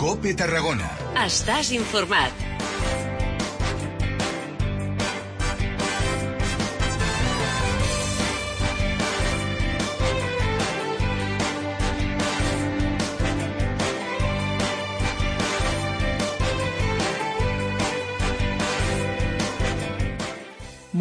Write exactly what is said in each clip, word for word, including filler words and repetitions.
COPE Tarragona. Estàs informat.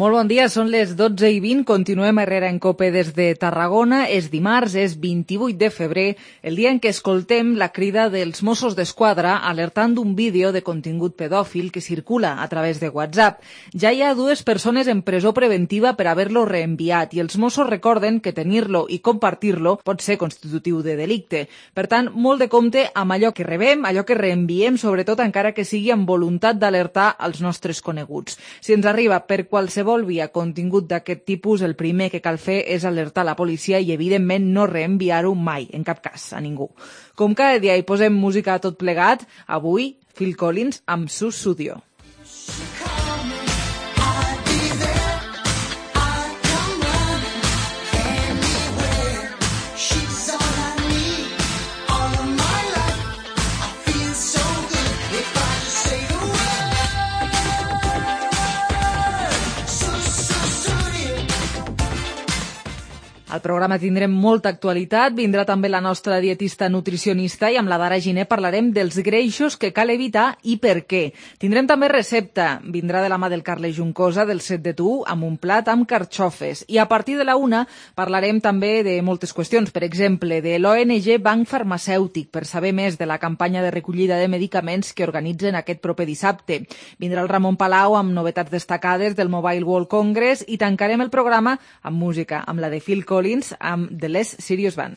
Molt bon dia, són les dotze i vint, continuem Herrera en COPE des de Tarragona. És dimarts, és vint-i-vuit de febrer, el dia en què escoltem la crida dels Mossos d'Esquadra alertant d'un vídeo de contingut pedòfil que circula a través de WhatsApp. Ja hi ha dues persones en presó preventiva per haver-lo reenviat i els Mossos recorden que tenir-lo i compartir-lo pot ser constitutiu de delicte. Per tant, molt de compte amb allò que rebem, allò que reenviem, sobretot encara que sigui amb voluntat d'alertar als nostres coneguts. Si ens arriba per qualsevol via contingut d'aquest tipus, el primer que cal fer és alertar la policia i, evidentment, no reenviar-ho mai, en cap cas, a ningú. Com cada dia hi posem música a tot plegat, avui Phil Collins amb Sussudio. Al programa tindrem molta actualitat, vindrà també la nostra dietista nutricionista i amb la Dara Giner parlarem dels greixos que cal evitar i per què. Tindrem també recepta, vindrà de la mà del Carles Juncosa del Set de Tu amb un plat amb carxofes. I a partir de la una parlarem també de moltes qüestions, per exemple, de l'O N G Banc Farmacèutic per saber més de la campanya de recollida de medicaments que organitzen aquest proper dissabte. Vindrà el Ramon Palau amb novetats destacades del Mobile World Congress i tancarem el programa amb música, amb la de Phil Collins amb The Less Serious Band.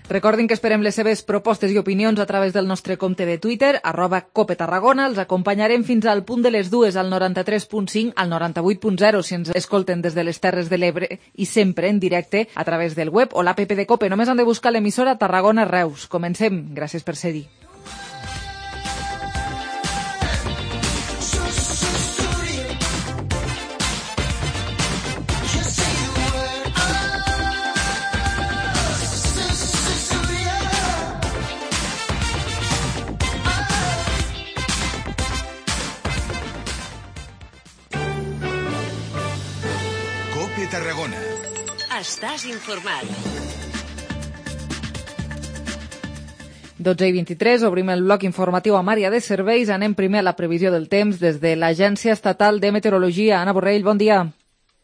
Recordin que esperem les seves propostes i opinions a través del nostre compte de Twitter, arroba Cope Tarragona. Els acompanyarem fins al punt de les dues, al noranta-tres punt cinc, al noranta-vuit punt zero, si ens escolten des de les Terres de l'Ebre i sempre en directe a través del web o l'app de Cope. Només han de buscar l'emissora Tarragona Reus. Comencem. Gràcies per ser-hi. Tarragona. Estàs informat. dotze i vint-i-tres, obrim el bloc informatiu amb àrea de serveis. Anem primer a la previsió del temps des de l'Agència Estatal de Meteorologia. Anna Borrell, bon dia.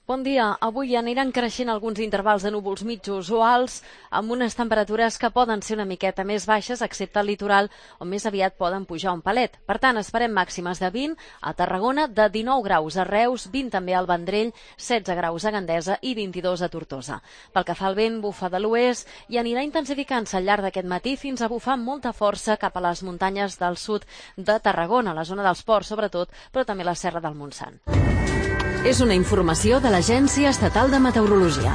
Bon dia. Avui aniran creixent alguns intervals de núvols mitjos o alts amb unes temperatures que poden ser una miqueta més baixes, excepte al litoral, on més aviat poden pujar un palet. Per tant, esperem màximes de vint a Tarragona, de dinou graus a Reus, vint també al Vendrell, setze graus a Gandesa i vint-i-dos a Tortosa. Pel que fa al vent, bufa de l'oest i anirà intensificant-se al llarg d'aquest matí fins a bufar amb molta força cap a les muntanyes del sud de Tarragona, la zona dels ports sobretot, però també la Serra del Montsant. És una informació de l'Agència Estatal de Meteorologia.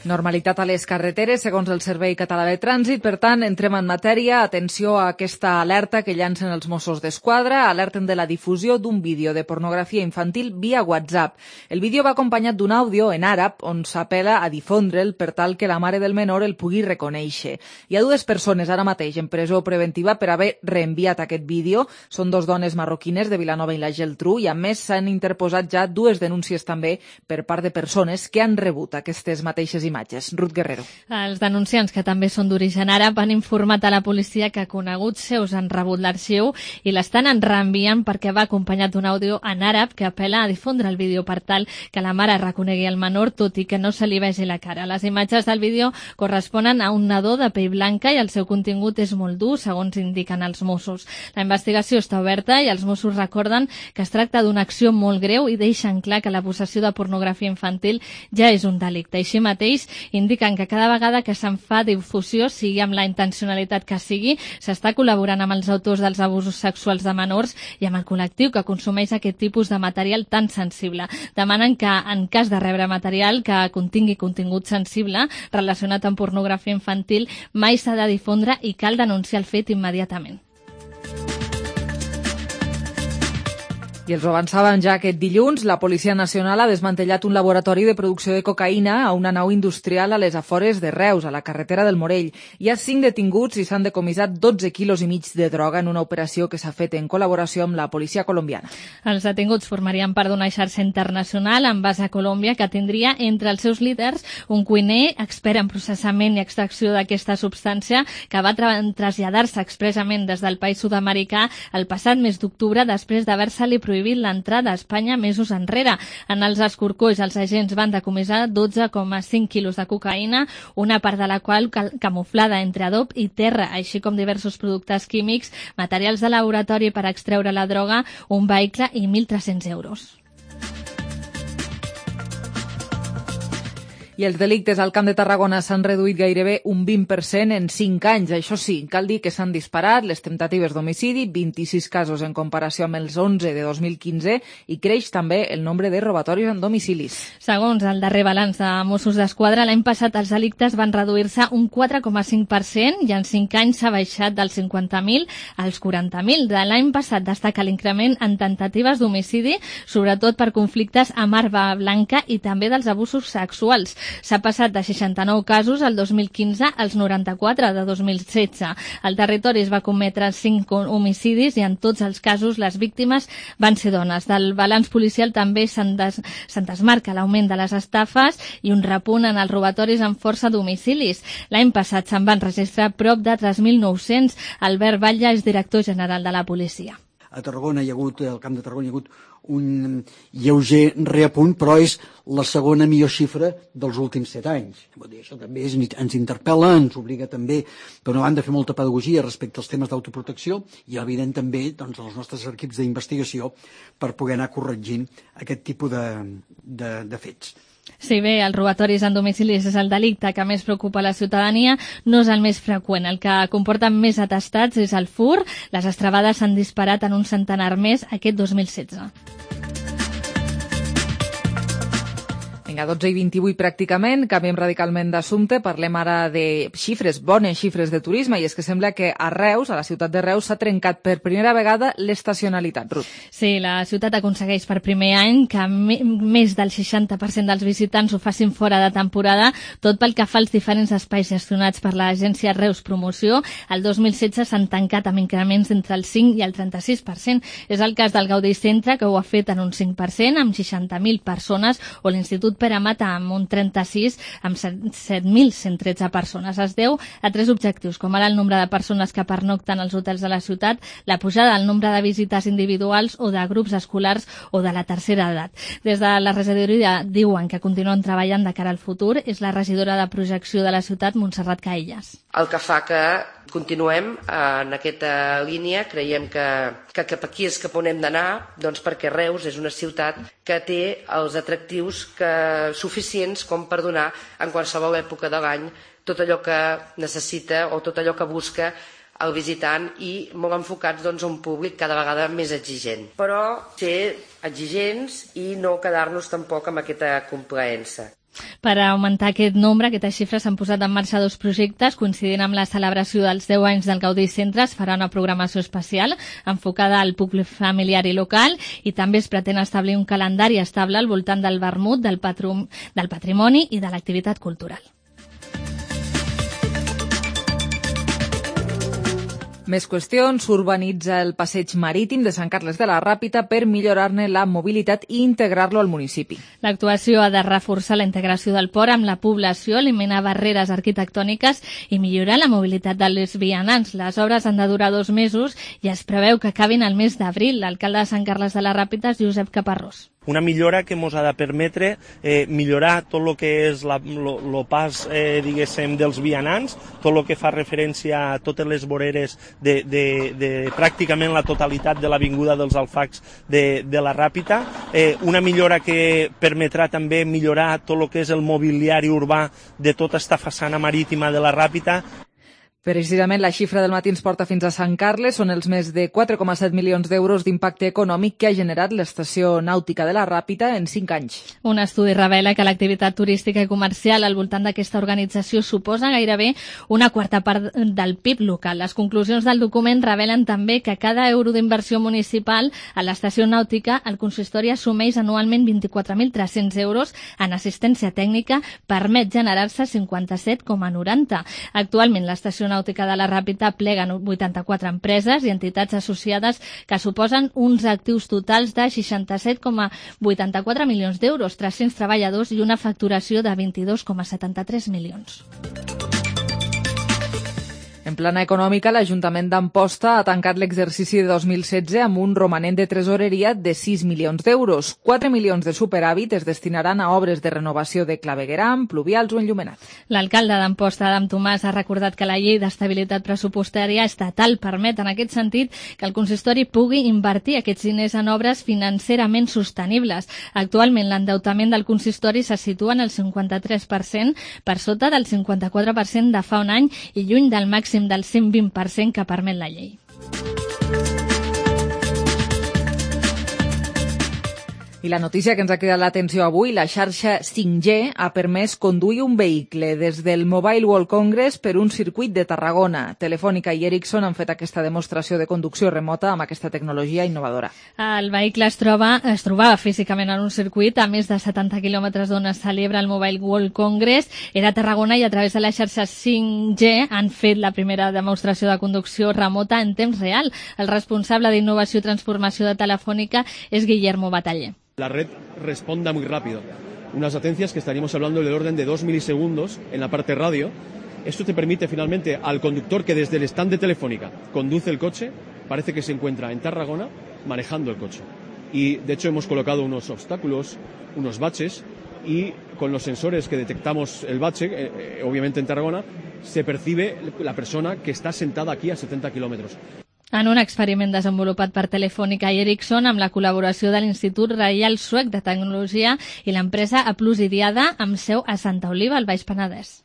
Normalitat a les carreteres, segons el Servei Català de Trànsit. Per tant, entrem en matèria. Atenció a aquesta alerta que llancen els Mossos d'Esquadra. Alerten de la difusió d'un vídeo de pornografia infantil via WhatsApp. El vídeo va acompanyat d'un àudio en àrab on s'apela a difondre'l per tal que la mare del menor el pugui reconèixer. Hi ha dues persones ara mateix en presó preventiva per haver reenviat aquest vídeo. Són dos dones marroquines de Vilanova i la Geltrú i, a més, s'han interposat ja dues denúncies també per part de persones que han rebut aquestes mateixes imatges. Ruth Guerrero. Els denunciants, que també són d'origen àrab, han informat a la policia que coneguts seus han rebut l'arxiu i l'estan reenviant perquè va acompanyat d'un àudio en àrab que apela a difondre el vídeo per tal que la mare reconegui el menor, tot i que no se li vegi la cara. Les imatges del vídeo corresponen a un nadó de pell blanca i el seu contingut és molt dur, segons indiquen els Mossos. La investigació està oberta i els Mossos recorden que es tracta d'una acció molt greu i deixen clar que la possessió de pornografia infantil ja és un delicte. Així mateix, indiquen que cada vegada que se'n fa difusió, sigui amb la intencionalitat que sigui, s'està col·laborant amb els autors dels abusos sexuals de menors i amb el col·lectiu que consumeix aquest tipus de material tan sensible. Demanen que, en cas de rebre material que contingui contingut sensible relacionat amb pornografia infantil, mai s'ha de difondre i cal denunciar el fet immediatament. I els ho avançàvem ja aquest dilluns, la Policia Nacional ha desmantellat un laboratori de producció de cocaïna a una nau industrial a les afores de Reus, a la carretera del Morell. Hi ha cinc detinguts i s'han decomissat dotze quilos i mig de droga en una operació que s'ha fet en col·laboració amb la policia colombiana. Els detinguts formarien part d'una xarxa internacional amb base a Colòmbia que tindria entre els seus líders un cuiner expert en processament i extracció d'aquesta substància que va tra traslladar-se expressament des del país sud-americà el passat mes d'octubre després d'haver-se-li prohibit l'entrada a Espanya mesos enrere. En els escorcolls, els agents van decomissar dotze coma cinc quilos de cocaïna, una part de la qual camuflada entre adob i terra, així com diversos productes químics, materials de laboratori per extreure la droga, un vehicle i mil tres-cents euros. I els delictes al Camp de Tarragona s'han reduït gairebé un vint per cent en cinc anys. Això sí, cal dir que s'han disparat les temptatives d'homicidi, vint-i-sis casos en comparació amb els onze de dos mil quinze, i creix també el nombre de robatoris en domicilis. Segons el darrer balanç de Mossos d'Esquadra, l'any passat els delictes van reduir-se un quatre coma cinc per cent i en cinc anys s'ha baixat dels cinquanta mil als quaranta mil. De l'any passat destaca l'increment en temptatives d'homicidi, sobretot per conflictes amb arma blanca i també dels abusos sexuals. S'ha passat de seixanta-nou casos el dos mil quinze als noranta-quatre de dos mil setze. Al territori es va cometre cinc homicidis i en tots els casos les víctimes van ser dones. Del balanç policial també se'n des, se'n desmarca l'augment de les estafes i un repunt en els robatoris amb força domicilis. L'any passat se'n van registrar prop de tres mil nou-cents. Albert Batlle és director general de la policia. A Tarragona hi ha hagut, al Camp de Tarragona hi ha hagut un lleuger reapunt, però és la segona millor xifra dels últims set anys. Vull dir, això també és, ens interpel·la, ens obliga també, per una banda, a fer molta pedagogia respecte als temes d'autoprotecció i, evident, també doncs, els nostres equips d'investigació per poder anar corregint aquest tipus de, de, de fets. Si bé els robatoris en domicilis és el delicte que més preocupa la ciutadania, no és el més freqüent. El que comporta més atestats és el furt. Les estrebades s'han disparat en un centenar més aquest dos mil setze. Vinga, dotze i vint-i-vuit pràcticament, canviem radicalment d'assumpte, parlem ara de xifres, bones xifres de turisme, i és que sembla que a Reus, a la ciutat de Reus, s'ha trencat per primera vegada l'estacionalitat. Ruth. Sí, la ciutat aconsegueix per primer any que més del seixanta per cent dels visitants ho facin fora de temporada, tot pel que fa als diferents espais gestionats per l'agència Reus Promoció. El dos mil setze s'han tancat amb increments entre el cinc i el trenta-sis per cent. És el cas del Gaudí Centre, que ho ha fet en un cinc per cent, amb seixanta mil persones, o l'Institut Pere Mata amb un trenta-sis amb set mil cent tretze persones. Es deu a tres objectius, com ara el nombre de persones que pernocten als hotels de la ciutat, la pujada del nombre de visites individuals o de grups escolars o de la tercera edat. Des de la regidoria diuen que continuen treballant de cara al futur. És la regidora de projecció de la ciutat, Montserrat Caelles. El que fa que continuem en aquesta línia, creiem que, que cap aquí és cap on hem d'anar, doncs perquè Reus és una ciutat que té els atractius que, suficients com per donar en qualsevol època de l'any tot allò que necessita o tot allò que busca el visitant, i molt enfocats doncs, a un públic cada vegada més exigent. Però ser exigents i no quedar-nos tampoc amb aquesta complaença. Per augmentar aquest nombre, aquestes xifres, s'han posat en marxa dos projectes. Coincidint amb la celebració dels deu anys del Gaudí Centre, es farà una programació especial enfocada al públic familiar i local, i també es pretén establir un calendari estable al voltant del vermut, del, patrum, del patrimoni i de l'activitat cultural. Més qüestions. S'urbanitza el passeig marítim de Sant Carles de la Ràpita per millorar-ne la mobilitat i integrar-lo al municipi. L'actuació ha de reforçar la integració del port amb la població, eliminar barreres arquitectòniques i millorar la mobilitat dels vianants. Les obres han de durar dos mesos i es preveu que acabin el mes d'abril. L'alcalde de Sant Carles de la Ràpita és Josep Caparrós. Una millora que ens ha de permetre eh, millorar tot el que és el pas eh, diguéssim, dels vianants, tot el que fa referència a totes les voreres de, de, de pràcticament la totalitat de l'avinguda dels Alfacs de, de la Ràpita, eh, una millora que permetrà també millorar tot el que és el mobiliari urbà de tota esta façana marítima de la Ràpita. Precisament la xifra del matí ens porta fins a Sant Carles. Són els més de quatre coma set milions d'euros d'impacte econòmic que ha generat l'estació nàutica de la Ràpita en cinc anys. Un estudi revela que l'activitat turística i comercial al voltant d'aquesta organització suposa gairebé una quarta part del P I B local. Les conclusions del document revelen també que cada euro d'inversió municipal a l'estació nàutica el consistori assumeix anualment vint-i-quatre mil tres-cents euros en assistència tècnica, permet generar-se cinquanta-set coma noranta. Actualment l'estació nàutica de la Ràpita pleguen vuitanta-quatre empreses i entitats associades que suposen uns actius totals de seixanta-set coma vuitanta-quatre milions d'euros, tres-cents treballadors i una facturació de vint-i-dos coma setanta-tres milions. En plana econòmica, l'Ajuntament d'Amposta ha tancat l'exercici de dos mil setze amb un romanent de tresoreria de sis milions d'euros. quatre milions de superàvit es destinaran a obres de renovació de clavegueram, pluvials o enllumenat. L'alcalde d'Amposta, Adam Tomàs, ha recordat que la llei d'estabilitat pressupostària estatal permet, en aquest sentit, que el consistori pugui invertir aquests diners en obres financerament sostenibles. Actualment, l'endeutament del consistori se situa en el cinquanta-tres per cent, per sota del cinquanta-quatre per cent de fa un any i lluny del màxim del cent vint per cent que permet la llei. I la notícia que ens ha cridat l'atenció avui, la xarxa cinc G ha permès conduir un vehicle des del Mobile World Congress per un circuit de Tarragona. Telefònica i Ericsson han fet aquesta demostració de conducció remota amb aquesta tecnologia innovadora. El vehicle es, troba, es trobava físicament en un circuit a més de setanta quilòmetres d'on es celebra el Mobile World Congress. Era a Tarragona i a través de la xarxa cinc G han fet la primera demostració de conducció remota en temps real. El responsable d'innovació i transformació de Telefònica és Guillermo Bataller. La red responda muy rápido. Unas latencias que estaríamos hablando del orden de dos milisegundos en la parte radio. Esto te permite finalmente al conductor que desde el stand de Telefónica conduce el coche, parece que se encuentra en Tarragona manejando el coche. Y de hecho hemos colocado unos obstáculos, unos baches, y con los sensores que detectamos el bache, eh, obviamente en Tarragona, se percibe la persona que está sentada aquí a setenta kilómetros. En un experiment desenvolupat per Telefònica i Ericsson amb la col·laboració de l'Institut Reial Suec de Tecnologia i l'empresa Aplusidiada amb seu a Santa Oliva, al Baix Penedès.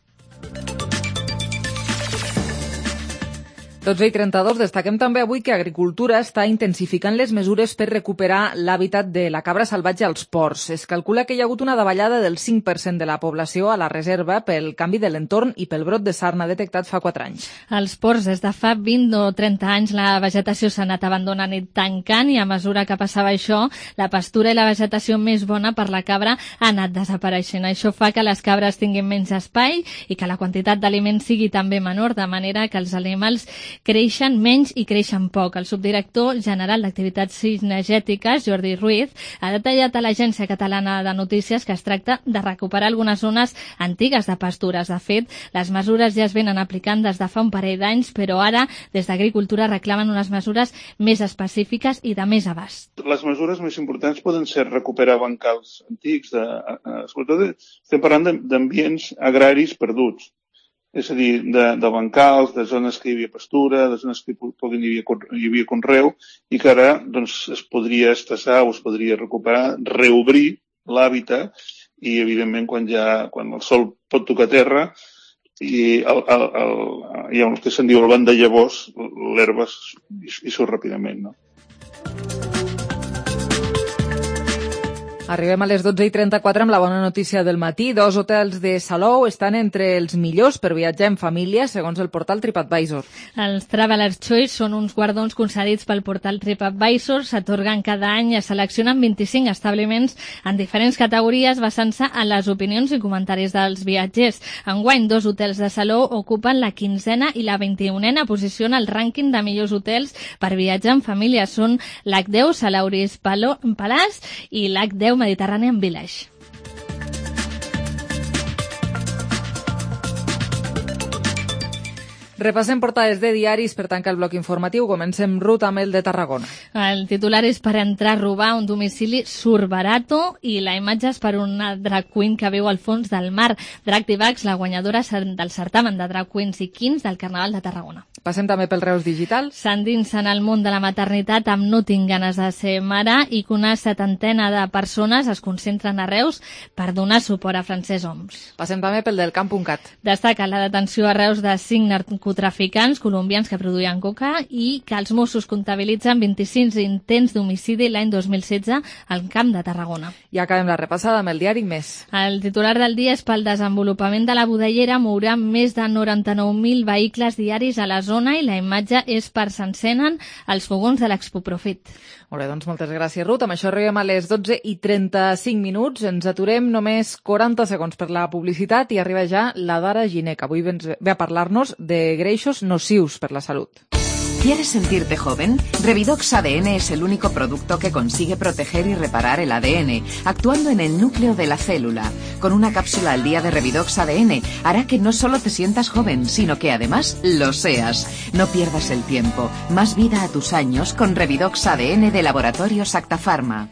dotze i trenta-dos, destaquem també avui que Agricultura està intensificant les mesures per recuperar l'hàbitat de la cabra salvatge als ports. Es calcula que hi ha hagut una davallada del cinc per cent de la població a la reserva pel canvi de l'entorn i pel brot de sarna detectat fa quatre anys. Als ports, des de fa vint o trenta anys, la vegetació s'ha anat abandonant i tancant, i a mesura que passava això, la pastura i la vegetació més bona per la cabra ha anat desapareixent. Això fa que les cabres tinguin menys espai i que la quantitat d'aliments sigui també menor, de manera que els animals creixen menys i creixen poc. El subdirector general d'Activitats Cinegètiques, Jordi Ruiz, ha detallat a l'Agència Catalana de Notícies que es tracta de recuperar algunes zones antigues de pastures. De fet, les mesures ja es venen aplicant des de fa un parell d'anys, però ara, des d'Agricultura, reclamen unes mesures més específiques i de més abast. Les mesures més importants poden ser recuperar bancals antics, de, sobretot estem parlant d'ambients agraris perduts. És a dir, de, de bancals, de zones que hi havia pastura, de zones que hi havia, hi havia conreu, i que ara doncs, es podria estassar o es podria recuperar, reobrir l'hàbitat, i evidentment quan, ja, quan el sol pot tocar terra i el, el, el, hi ha el que se'n diu el banc de llavors, l'herba hi surt ràpidament, no? Arribem a les dotze i trenta-quatre amb la bona notícia del matí. Dos hotels de Salou estan entre els millors per viatjar en família, segons el portal TripAdvisor. Els Traveler's Choice són uns guardons concedits pel portal TripAdvisor. S'atorguen cada any i es seleccionen vint-i-cinc establiments en diferents categories basant-se en les opinions i comentaris dels viatgers. Enguany, dos hotels de Salou ocupen la quinzena i la vint-i-unena posició en el rànquing de millors hotels per viatjar en família. Són l'H deu Salauris Palace i l'H deu Mediterranean Village. Repassem portades de diaris per tancar el bloc informatiu. Comencem ruta amb el de Tarragona. El titular és per entrar a robar un domicili surt barato i la imatge és per una drag queen que viu al fons del mar. Drag Divax, la guanyadora del certamen de drag queens i queens del Carnaval de Tarragona. Passem també pel Reus Digital. S'endinsen al món de la maternitat amb No tinc ganes de ser mare i que una setantena de persones es concentren a Reus per donar suport a Francesc Homs. Passem també pel del camp punt cat. Destaca la detenció a Reus de cinc narcotraficants colombians que produïen coca i que els Mossos comptabilitzen vint-i-cinc intents d'homicidi l'any dos mil setze al Camp de Tarragona. I acabem la repassada amb el diari Més. El titular del dia és pel desenvolupament de la Budellera mourà més de noranta-nou mil vehicles diaris a la zona i la imatge és per s'encenen els fogons de l'Expo Profit. Molt bé, doncs moltes gràcies, Ruth. Amb això arribem a les dotze i trenta-cinc minuts. Ens aturem només quaranta segons per la publicitat i arriba ja la Dara Giner, que avui ve a parlar-nos de greixos nocius per la salut. ¿Quieres sentirte joven? Revidox A D N es el único producto que consigue proteger y reparar el A D N, actuando en el núcleo de la célula. Con una cápsula al día de Revidox A D N hará que no solo te sientas joven, sino que además lo seas. No pierdas el tiempo. Más vida a tus años con Revidox A D N de Laboratorios Acta Pharma.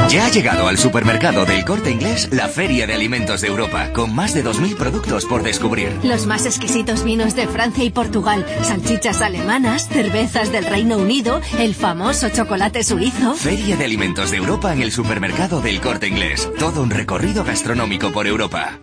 Ya ha llegado al supermercado del Corte Inglés la Feria de Alimentos de Europa, con más de dos mil productos por descubrir. Los más exquisitos vinos de Francia y Portugal, salchichas alemanas, cervezas del Reino Unido, el famoso chocolate suizo. Feria de Alimentos de Europa en el supermercado del Corte Inglés. Todo un recorrido gastronómico por Europa.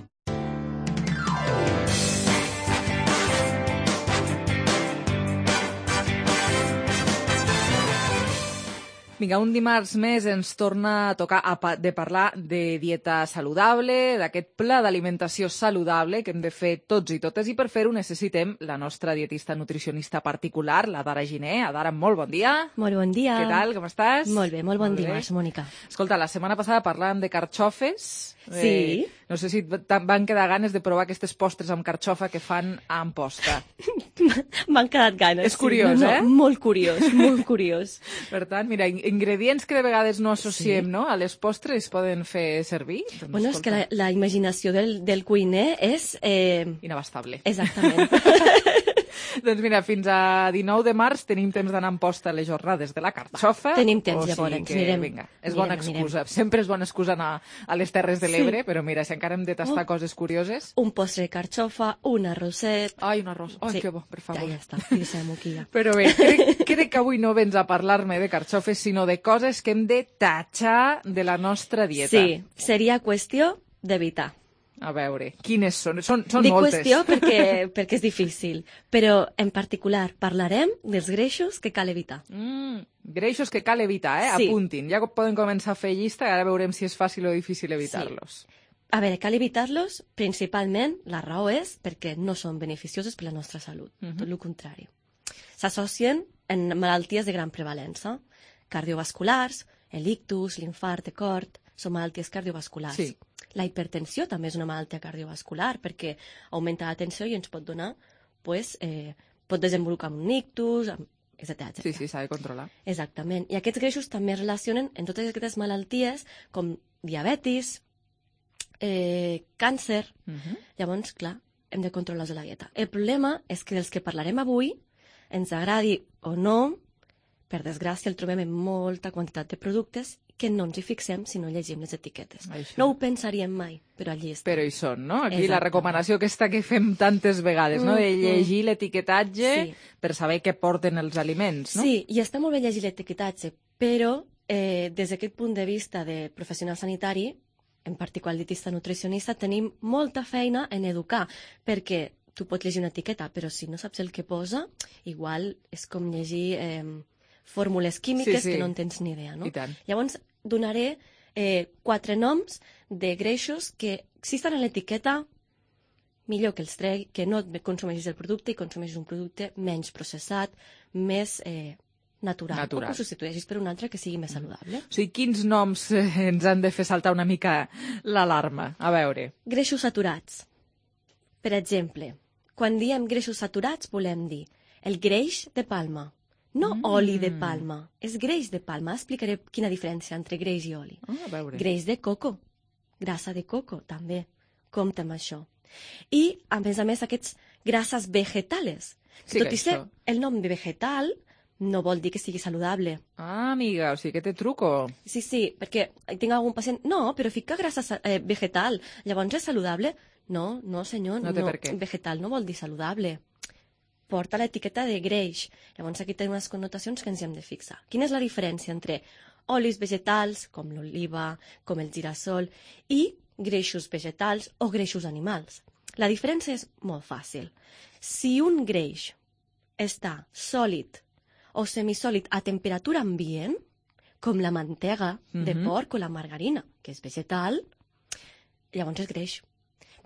Vinga, un dimarts més ens torna a tocar a pa de parlar de dieta saludable, d'aquest pla d'alimentació saludable que hem de fer tots i totes, i per fer-ho necessitem la nostra dietista nutricionista particular, la Dara Giner. Dara, molt bon dia. Molt bon dia. Què tal, com estàs? Molt bé, molt bon molt dimarts, bé. Mònica. Escolta, la setmana passada parlàvem de carxofes. Sí. Eh, no sé si van quedar ganes de provar aquestes postres amb carxofa que fan a Amposta. M'han quedat ganes. És curiós, sí. no, no, eh? Molt curiós, molt curiós. Per tant, mira, ingredients que de vegades no associem, sí. no? A les postres poden fer servir. Doncs, bueno, escolta. és que la, la imaginació del, del cuiner és... Eh... Inabastable. Exactament. Doncs mira, fins a dinou de març tenim temps d'anar a Amposta a les jornades de la carxofa. Va, tenim temps, o sigui llavors. Que, mirem, vinga, és mirem, bona excusa. Mirem. Sempre és bona excusa anar a les Terres de l'Ebre, sí. però mira, si encara hem de tastar oh. coses curioses... Un postre de carxofa, un arrosset... Ai, un arròs. Ai, sí. que bo, per favor. Ja, ja està, fixem-ho aquí ja. Però bé, crec, crec que avui no vens a parlar-me de carxofes, sinó de coses que hem de tatxar de la nostra dieta. Sí, seria qüestió d'evitar. A veure, quines són? Són, són Dic moltes. Dic qüestió perquè, perquè és difícil, però en particular parlarem dels greixos que cal evitar. Mm, greixos que cal evitar, eh? Sí. Apuntin. Ja poden començar a fer llista i ara veurem si és fàcil o difícil evitar-los. Sí. A veure, cal evitar-los, principalment, la raó és perquè no són beneficiosos per la nostra salut, uh-huh. tot el contrari. S'associen en malalties de gran prevalença, cardiovasculars, l'ictus, l'infart de cor, són malalties cardiovasculars. Sí. La hipertensió també és una malaltia cardiovascular perquè augmenta la tensió i ens pot donar, pues, eh, pot desenvolupar un ictus, etcètera etcètera. Sí, sí, s'ha de controlar. Exactament. I aquests greixos també es relacionen en totes aquestes malalties com diabetis, eh, càncer. Uh-huh. Llavors, clar, hem de controlar-los a la dieta. El problema és que dels que parlarem avui, ens agradi o no, per desgràcia el trobem en molta quantitat de productes que no ens hi fixem si no llegim les etiquetes. Això. No ho pensaríem mai, però allí està. Però hi són, no? Aquí Exacte. La recomanació aquesta que fem tantes vegades, no? De llegir l'etiquetatge sí. per saber què porten els aliments, no? Sí, i està molt bé llegir l'etiquetatge, però eh, des d'aquest punt de vista de professional sanitari, en particular dietista nutricionista, tenim molta feina en educar, perquè tu pots llegir una etiqueta, però si no saps el que posa, igual és com llegir eh, fórmules químiques sí, sí. que no en tens ni idea, no? I tant. Llavors, donaré eh, quatre noms de greixos que, si estan en l'etiqueta, millor que els tregui, que no consumeixis el producte i consumeixis un producte menys processat, més eh, natural, natural, o que ho substitueixis per un altre que sigui més saludable. O sigui, quins noms eh, ens han de fer saltar una mica l'alarma? A veure. Greixos saturats. Per exemple, quan diem greixos saturats volem dir el greix de palma. No mm. oli de palma, és greix de palma. Explicaré quina diferència entre greix i oli. Oh, a veure. Greix de coco, grassa de coco, també. Compte amb això. I, a més a més, aquests grasses vegetales. Sí, tot i ser això. el nom de vegetal, no vol dir que sigui saludable. Ah, amiga, o sigui que té truco. Sí, sí, perquè tinc algun pacient... No, però fica grassa eh, vegetal, llavors és saludable? No, no senyor, no, té per què. Vegetal no vol dir saludable. Porta l'etiqueta de greix. Llavors aquí té unes connotacions que ens hi hem de fixar. Quina és la diferència entre olis vegetals, com l'oliva, com el girassol, i greixos vegetals o greixos animals? La diferència és molt fàcil. Si un greix està sòlid o semisòlid a temperatura ambient, com la mantega de Mhm. porc o la margarina, que és vegetal, llavors és greix.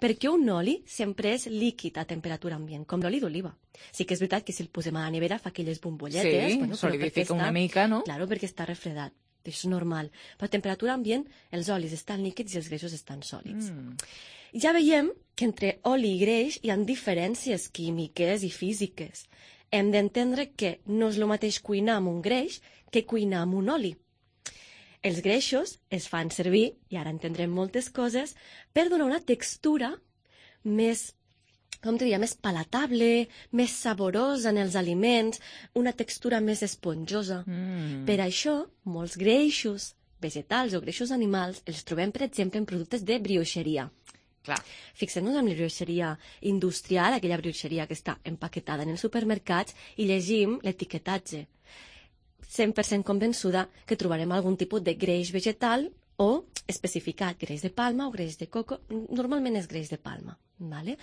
Perquè un oli sempre és líquid a temperatura ambient, com l'oli d'oliva. Sí que és veritat que si el posem a la nevera fa aquelles bombolletes. Sí, bueno, però solidifica perquè una està- mica, no? Claro, perquè està refredat. Això és normal. Però a temperatura ambient els olis estan líquids i els greixos estan sòlids. Mm. Ja veiem que entre oli i greix hi ha diferències químiques i físiques. Hem d'entendre que no és el mateix cuinar amb un greix que cuinar amb un oli. Els greixos es fan servir, i ara entendrem moltes coses, per donar una textura més, com diria, més palatable, més saborosa en els aliments, una textura més esponjosa. Mm. Per això, molts greixos vegetals o greixos animals els trobem, per exemple, en productes de brioixeria. Clar. Fixem-nos en la brioixeria industrial, aquella brioixeria que està empaquetada en els supermercats, i llegim l'etiquetatge. cent per cent convençuda que trobarem algun tipus de greix vegetal o especificat, greix de palma o greix de coco. Normalment és greix de palma. Vale?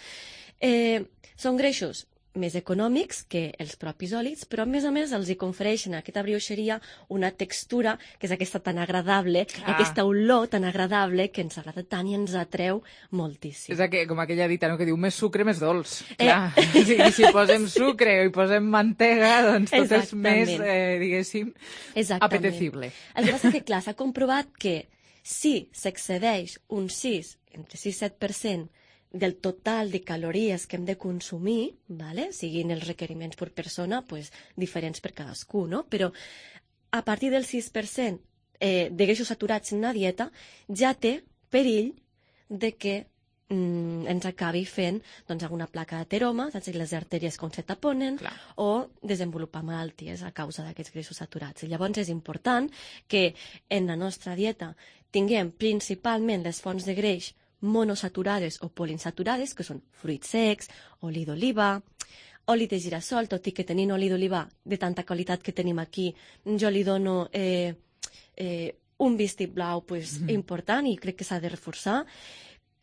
Eh, són greixos més econòmics que els propis olis, però a més a més els hi confereixen a aquesta brioixeria una textura que és aquesta tan agradable, Clar. aquesta olor tan agradable que ens agrada tant i ens atreu moltíssim. És aqu com aquella dita, no?, que diu més sucre, més dolç. Eh. Clar, si, si posem sucre i posem mantega, doncs tot és Exactament. més, eh, diguéssim, Exactament. apetecible. El que passa que, clar, s'ha comprovat que si s'excedeix un sis, entre sis i set per cent del total de calories que hem de consumir, vale? Siguin els requeriments per persona, pues, diferents per cadascú, no? Però a partir del sis per cent eh, de greixos saturats en una dieta ja té perill de que mm, ens acabi fent doncs, alguna placa d'ateroma, saps? Que les artèries com se taponen, Clar. o desenvolupar malalties a causa d'aquests greixos saturats. I llavors és important que en la nostra dieta tinguem principalment les fonts de greix monosaturades o poliinsaturades, que són fruits secs, oli d'oliva, oli de girassol, tot i que tenint oli d'oliva de tanta qualitat que tenim aquí, jo li dono eh, eh, un vistiplau pues, Mhm. important i crec que s'ha de reforçar,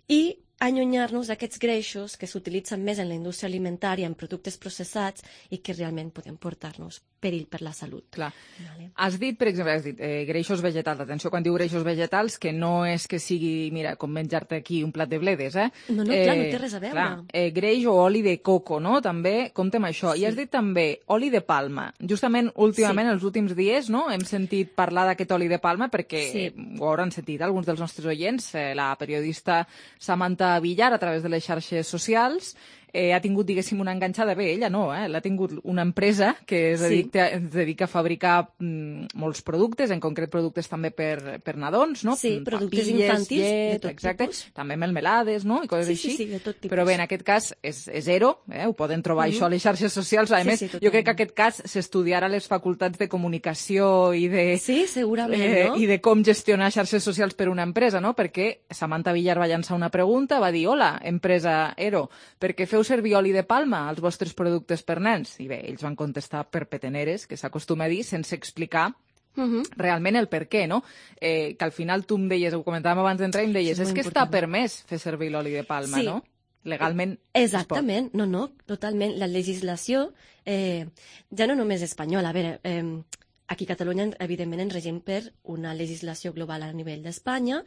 i allunyar-nos d'aquests greixos que s'utilitzen més en la indústria alimentària, en productes processats, i que realment poden portar-nos perill per la salut. Clar. Vale. Has dit, per exemple, has dit eh, greixos vegetals. Atenció, quan diu greixos vegetals, que no és que sigui, mira, com menjar-te aquí un plat de bledes, eh? No, no, clar, no té res a veure. Clar, eh, greix o oli de coco, no? També, compte amb això. Sí. I has dit també oli de palma. Justament, últimament, Sí. els últims dies, no?, hem sentit parlar d'aquest oli de palma perquè Sí. eh, ho hauran sentit alguns dels nostres oients. Eh, la periodista Samantha Villar, a través de les xarxes socials, eh, ha tingut, diguéssim, una enganxada. Bé, ella no, eh? L'ha tingut una empresa que es Sí. dedica, es dedica a fabricar mm, molts productes, en concret productes també per, per nadons, no? Sí, Mm, productes papilles, infantils de llet, tot exacte. tipus. També melmelades, no?, i coses Sí, així. sí, sí, de tot tipus. Però bé, en aquest cas és, és zero, eh? Ho poden trobar Mhm. això a les xarxes socials. A Sí, més, sí, jo crec que totalment. aquest cas s'estudiarà a les facultats de comunicació i de... Sí, segurament, eh, no? I de com gestionar xarxes socials per una empresa, no? Perquè Samantha Villar va llançar una pregunta, va dir: hola, empresa Ero, per què feu servir oli de palma als vostres productes per nens? I bé, ells van contestar per peteneres, que s'acostuma a dir, sense explicar Mhm. realment el per què, no? Eh, que al final tu em deies, ho comentàvem abans d'entrar, i em deies, Això és és molt que està important. permès fer servir l'oli de palma, Sí. no? Legalment es pot. Exactament, no, no, totalment. La legislació, eh, ja no només espanyola, a veure, eh, aquí a Catalunya, evidentment, ens regim per una legislació global a nivell d'Espanya,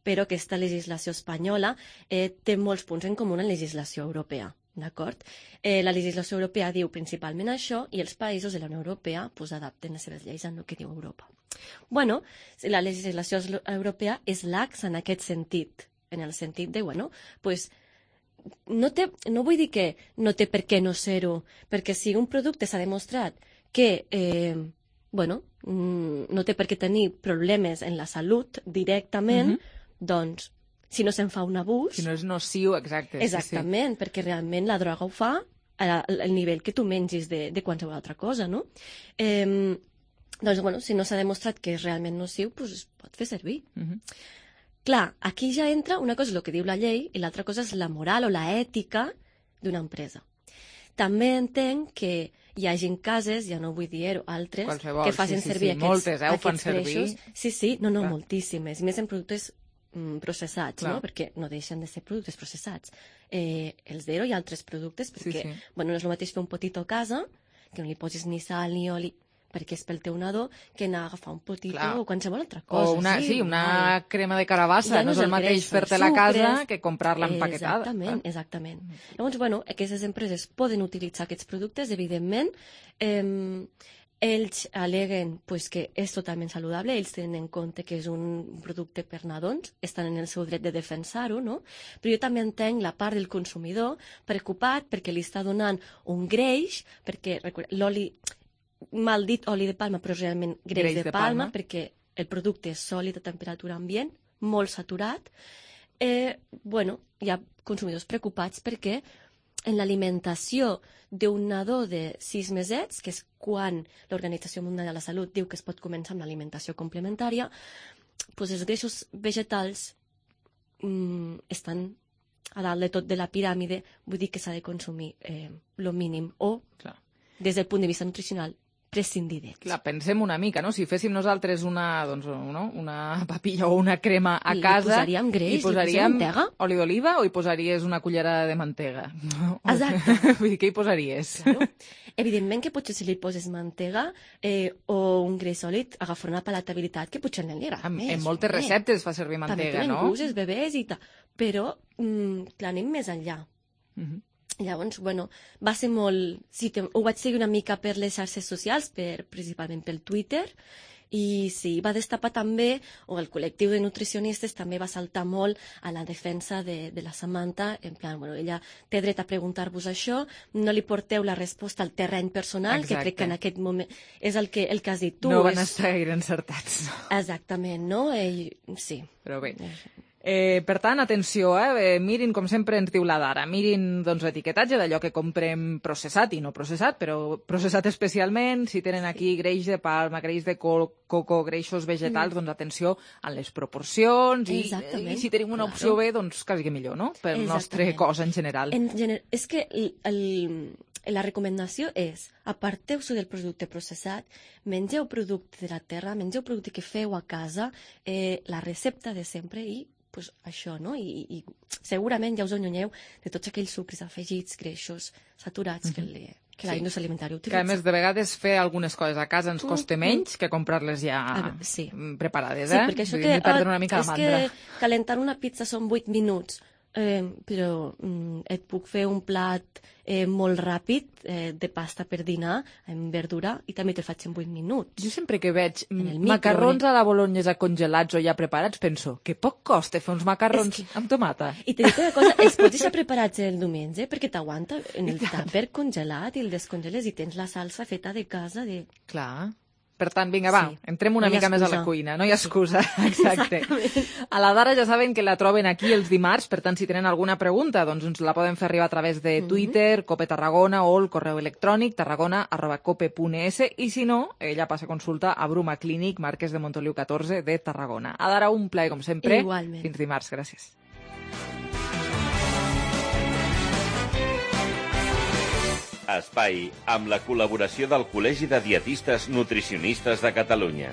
però aquesta legislació espanyola eh, té molts punts en comú amb la legislació europea. D'acord? Eh, la legislació europea diu principalment això i els països de la Unió Europea pues, adapten les seves lleis al que diu Europa. Bueno, la legislació europea és laxa en aquest sentit, en el sentit de, bueno, pues, no, té, no vull dir que no té per què no ser-ho, perquè si un producte s'ha demostrat que eh, bueno, no té per què tenir problemes en la salut directament, Mhm. doncs si no se'n fa un abús... Si no és nociu, exacte. Exactament, sí, sí. perquè realment la droga ho fa al nivell que tu mengis de, de qualsevol altra cosa, no? Eh, doncs, bueno, si no s'ha demostrat que és realment nociu, doncs es pot fer servir. Mhm. clar, aquí ja entra una cosa és el que diu la llei i l'altra cosa és la moral o la ètica d'una empresa. També entenc que hi hagin cases, ja no vull dir-ho, altres, qualsevol, que facin sí, sí, servir sí, aquests, moltes, eh, ho fan aquests greixos. servir. Sí, sí, no, no, Clar. moltíssimes. I més en productes mm, processats, Clar. no? Perquè no deixen de ser productes processats. Eh, els Zero i altres productes, perquè sí. bueno, no és el mateix fer un potito a casa, que no li posis ni sal ni oli, perquè és pel teu nadó, que anar a agafar un potito Clar. o qualsevol altra cosa. O una, sí, una val. crema de carabassa, Ja no és el mateix greix, fer-te-la a casa sucres. que comprar-la empaquetada. Exactament, exactament. Llavors, bueno, aquestes empreses poden utilitzar aquests productes, evidentment. Eh, ells aleguen pues, que és totalment saludable, ells tenen en compte que és un producte per nadons, estan en el seu dret de defensar-ho, no? Però jo també entenc la part del consumidor preocupat perquè li està donant un greix, perquè l'oli, mal dit oli de palma, però realment greix, Greix de, de palma, palma. perquè el producte és sòlid a temperatura ambient, molt saturat. Eh, bueno, hi ha consumidors preocupats perquè en l'alimentació d'un nadó de sis mesets, que és quan l'Organització Mundial de la Salut diu que es pot començar amb l'alimentació complementària, doncs els greixos vegetals mm, estan a dalt de tot de la piràmide, vull dir que s'ha de consumir eh, lo mínim o, Clar. des del punt de vista nutricional, prescindir d'ells. Clar, pensem una mica, no? Si féssim nosaltres una, doncs, no? una papilla o una crema a Li casa... posaríem greix, hi li posaríem posaríem mantega. oli d'oliva o hi posaries una cullerada de mantega? Exacte. Vull dir, què hi posaries? Claro. Evidentment que potser si li poses mantega eh, o un greix sòlid agafarà una palatabilitat que potser no li agrada En, més. en moltes home. receptes es fa servir També mantega, tenen no? gust, els bebès i tal. Però, mm, clar, anem més enllà. Uh -huh. Llavors, bueno, va ser molt... Sí, te... ho vaig seguir una mica per les xarxes socials, per, principalment pel Twitter, i sí, va destapar també, o el col·lectiu de nutricionistes també va saltar molt a la defensa de, de la Samantha, en plan, bueno, ella té dret a preguntar-vos això, no li porteu la resposta al terreny personal, Exacte. que crec que en aquest moment és el que, el que has dit tu. No van és... estar gaire encertats. No? Exactament, no? I, sí. Però bé. Eh, per tant, atenció, eh? mirin, com sempre ens diu la Dara, mirin doncs, l'etiquetatge d'allò que comprem processat i no processat, però processat especialment, si tenen aquí greix de palma, greix de co coco, greixos vegetals, Mm. doncs atenció a les proporcions i, Exactament. i si tenim una opció Claro. B, doncs quasi que millor, no? Per el nostre Exactament. cos en general. En gener... És que el, el, la recomanació és aparteu-se del producte processat, mengeu producte de la terra, mengeu producte que feu a casa, eh, la recepta de sempre i pues, això, no? I, i segurament ja us allunyeu de tots aquells sucres afegits, greixos, saturats que, li, que la Sí. indústria alimentària Que utilitza. a més de vegades fer algunes coses a casa ens costa Mm, menys que comprar-les ja Ah, sí. preparades, Sí, eh? perquè això Vull que, dir, perdre una ah, mica la és mandra. que calentar una pizza són vuit minuts, eh, però mm, et puc fer un plat eh, molt ràpid eh, de pasta per dinar amb verdura i també te'l faig en vuit minuts. Jo sempre que veig En el macarrons micro, a la bolognesa congelats o ja preparats, penso que poc costa fer uns macarrons És amb tomata. I te dic una cosa, els pots deixar preparats el diumenge perquè t'aguanta en el tàper congelat i el descongeles i tens la salsa feta de casa. De... Clar. Per tant, vinga, va, Sí. entrem una No hi ha mica més a la excusa. cuina. No hi ha excusa, exacte. A la Dara ja saben que la troben aquí els dimarts, per tant, si tenen alguna pregunta, doncs ens la poden fer arribar a través de Twitter, Cope Tarragona, o el correu electrònic tarragona arroba cope punt es, i si no, ella passa consulta a Bruma Clínic, Marquès de Montoliu catorze de Tarragona. A Dara, un plaer, com sempre. Igualment. Fins dimarts, gràcies. Espai amb la col·laboració del Col·legi de Dietistes Nutricionistes de Catalunya.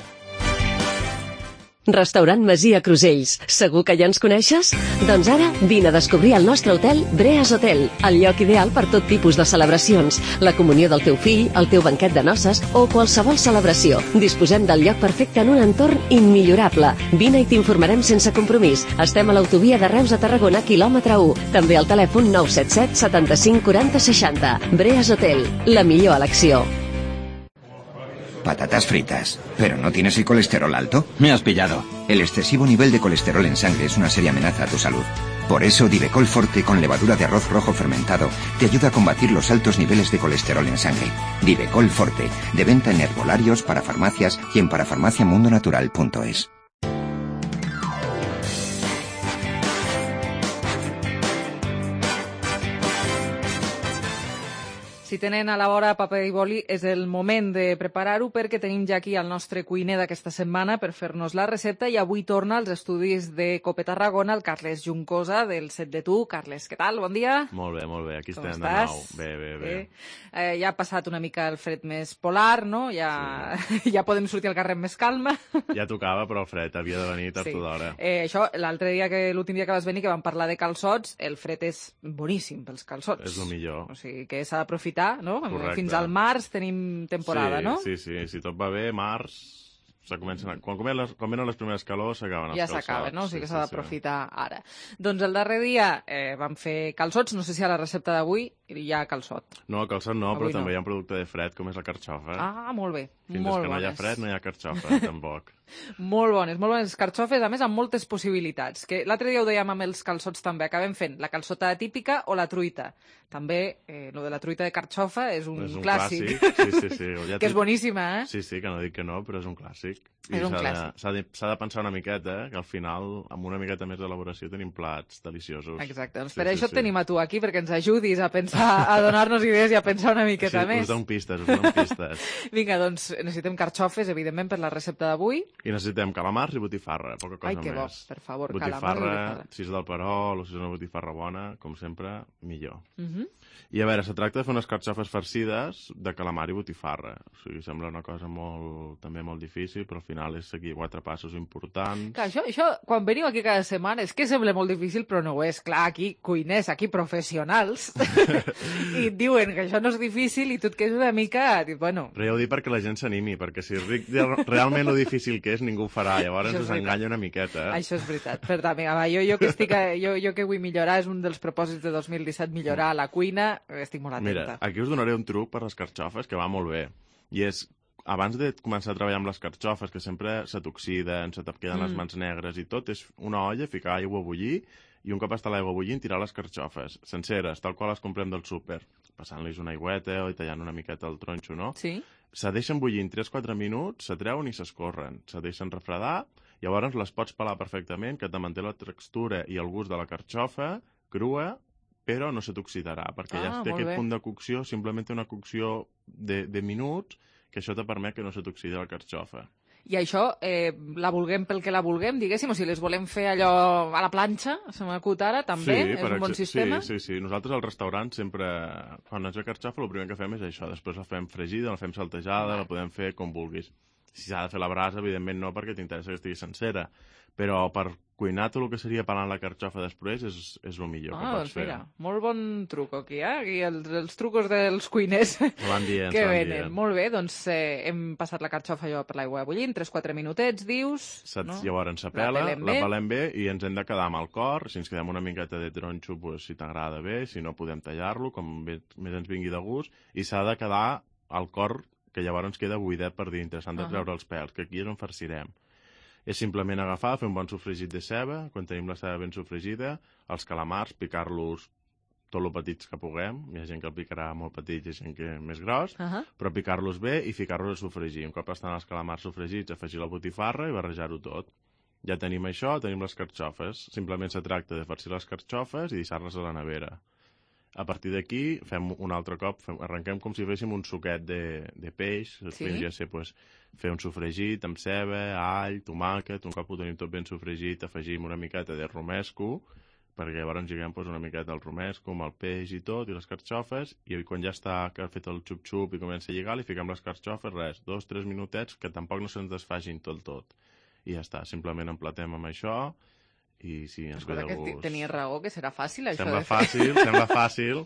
Restaurant Masia Crusells. Segur que ja ens coneixes? Doncs ara vine a descobrir el nostre hotel Breas Hotel, el lloc ideal per tot tipus de celebracions, la comunió del teu fill, el teu banquet de noces o qualsevol celebració. Disposem del lloc perfecte en un entorn immillorable. Vine i t'informarem sense compromís. Estem a l'autovia de Reus a Tarragona, quilòmetre u. També al telèfon nou set set setanta-cinc quaranta seixanta. Breas Hotel, la millor elecció. Patatas fritas. ¿Pero no tienes el colesterol alto? Me has pillado. El excesivo nivel de colesterol en sangre es una seria amenaza a tu salud. Por eso, Divecol Forte con levadura de arroz rojo fermentado te ayuda a combatir los altos niveles de colesterol en sangre. Divecol Forte, de venta en herbolarios, para farmacias y en parafarmaciamundonatural punto es. Si tenen a la vora paper i boli, és el moment de preparar-ho perquè tenim ja aquí el nostre cuiner d'aquesta setmana per fer-nos la recepta i avui torna als estudis de Cope Tarragona el Carles Juncosa del Set de Tu. Carles, què tal? Bon dia. Molt bé, molt bé. Aquí Com estem estàs? de nou. Bé, bé, bé. Eh? Eh, ja ha passat una mica el fred més polar, no? Ja, sí. ja podem sortir al carrer amb més calma. Ja tocava, però el fred havia de venir tard Sí. o d'hora. Eh, això, l'altre dia, que l'últim dia que vas venir, que vam parlar de calçots, el fred és boníssim pels calçots. És el millor. O sigui, que s'ha d'aprofitar, no? Correcte. Fins al març tenim temporada, sí, no? Sí, sí, si tot va bé, març... Se comencen a... quan, comencen les, quan venen les primeres calors s'acaben els Ja calçots. s'acaba, no? O sigui que Sí, s'ha sí, d'aprofitar ara. Doncs el darrer dia eh, vam fer calçots, no sé si a la recepta d'avui hi ha calçot. No, calçot no, Avui però no. també hi ha un producte de fred, com és la carxofa. Ah, molt bé. Fins molt que no hi ha bones. fred no hi ha carxofa, tampoc. Molt bones, molt bones carxofes, a més amb moltes possibilitats. Que l'altre dia ho dèiem amb els calçots també, acabem fent la calçota típica o la truita. També, eh, lo de la truita de carxofa és un, És un clàssic. clàssic, sí, sí, sí. Ja que és t'he- boníssima, eh? Sí, sí, que no dic que no, però és un clàssic. És un s'ha de- clàssic. S'ha de, s'ha de pensar una miqueta, eh, que al final, amb una miqueta més d'elaboració, tenim plats deliciosos. Exacte, doncs Sí, per sí, això sí. et tenim a tu aquí, perquè ens ajudis a pensar, a donar-nos idees i a pensar una miqueta Sí, més. us dono pistes, us dono pistes. Vinga, doncs necessitem carxofes, evidentment, per la recepta d'avui. I necessitem calamars i botifarra, poca cosa Ai, que bo, més. per favor, calamars i botifarra, botifarra. si és del Perol o si és una botifarra bona, com sempre, millor. Uh -huh. I a veure, se tracta de fer unes carxofes farcides de calamar i botifarra. O sigui, sembla una cosa molt, també molt difícil, però al final és seguir quatre passos importants. Clar, això, això, quan veniu aquí cada setmana, és que sembla molt difícil, però no ho és. Clar, aquí, cuiners, aquí, professionals, i et diuen que això no és difícil i tu et quedes una mica... Dius, bueno, Però ja ho dic perquè la gent s'animi, perquè si dic de- realment lo difícil que és, ningú ho farà. Llavors Això és us veritat. enganya una miqueta. això és veritat. Per tant, vinga, va, jo, jo, que estic a, jo, jo que vull millorar, és un dels propòsits de dos mil disset, millorar la cuina, estic molt atenta. Mira, aquí us donaré un truc per les carxofes que va molt bé. I és, abans de començar a treballar amb les carxofes, que sempre se t'oxiden, se te queden Mm. les mans negres i tot, és una olla, ficar aigua a bullir, i un cop està l'aigua bullint, tirar les carxofes, senceres, tal qual les comprem del súper, passant-los una aigüeta o tallant una miqueta el tronxo, no? Sí. Se deixen bullint tres quatre minuts, se treuen i s'escorren, se deixen refredar, llavors les pots pelar perfectament, que te manté la textura i el gust de la carxofa, crua, però no se t'oxidarà, perquè Ah, ja té molt aquest bé. punt de cocció, simplement té una cocció de, de minuts, que això te permet que no se t'oxidi la carxofa. I això, eh, la vulguem pel que la vulguem, diguéssim, o si les volem fer allò a la planxa, se m'acut ara, també, és per un bon exe- sistema. Sí, sí, sí. Nosaltres al restaurant sempre, quan ens ve carxofa, el primer que fem és això. Després la fem fregida, la fem saltejada, la podem fer com vulguis. Si s'ha de fer la brasa, evidentment no, perquè t'interessa que estigui sencera. Però per cuinar tot el que seria pelant la carxofa després és, és el millor Ah, que pots doncs fer. mira, molt bon truc aquí, eh? Aquí els, els trucos dels cuiners Se van dient, que se van venen. dient. Molt bé, doncs eh, hem passat la carxofa allò per l'aigua bullint, tres quatre minutets, dius... Saps? no? Llavors se La pela, pelem la bé. pelem bé i ens hem de quedar amb el cor. Si ens quedem una miqueta de tronxo, pues, si t'agrada bé, si no podem tallar-lo, com bé, més ens vingui de gust. I s'ha de quedar el cor, que llavors ens queda buidet per dintre, s'han de Ah. treure els pèls, que aquí és on farcirem. És simplement agafar, fer un bon sofregit de ceba, quan tenim la ceba ben sofregida, els calamars, picar-los tot lo petits que puguem, hi ha gent que el picarà molt petit i gent que més gros, Ahà. però picar-los bé i ficar-los a sofregir. Un cop estan els calamars sofregits, afegir la botifarra i barrejar-ho tot. Ja tenim això, tenim les carxofes. Simplement se tracta de farcir les carxofes i deixar-les a la nevera. A partir d'aquí, fem un altre cop, fem, arrenquem com si féssim un suquet de, de peix, Sí. podria ser pues, fer un sofregit amb ceba, all, tomàquet, un cop ho tenim tot ben sofregit, afegim una miqueta de romesco, perquè llavors lliguem pues, una miqueta el romesco amb el peix i tot, i les carxofes, i quan ja està que ha fet el xup-xup i comença a lligar, li fiquem les carxofes, res, dos, tres minutets, que tampoc no se'ns desfagin tot tot. I ja està, simplement emplatem amb això, i sí, ens ve Escolta, de que ti- gust. tenies raó, que serà fàcil, això Sembla de fer. fàcil, sembla fàcil,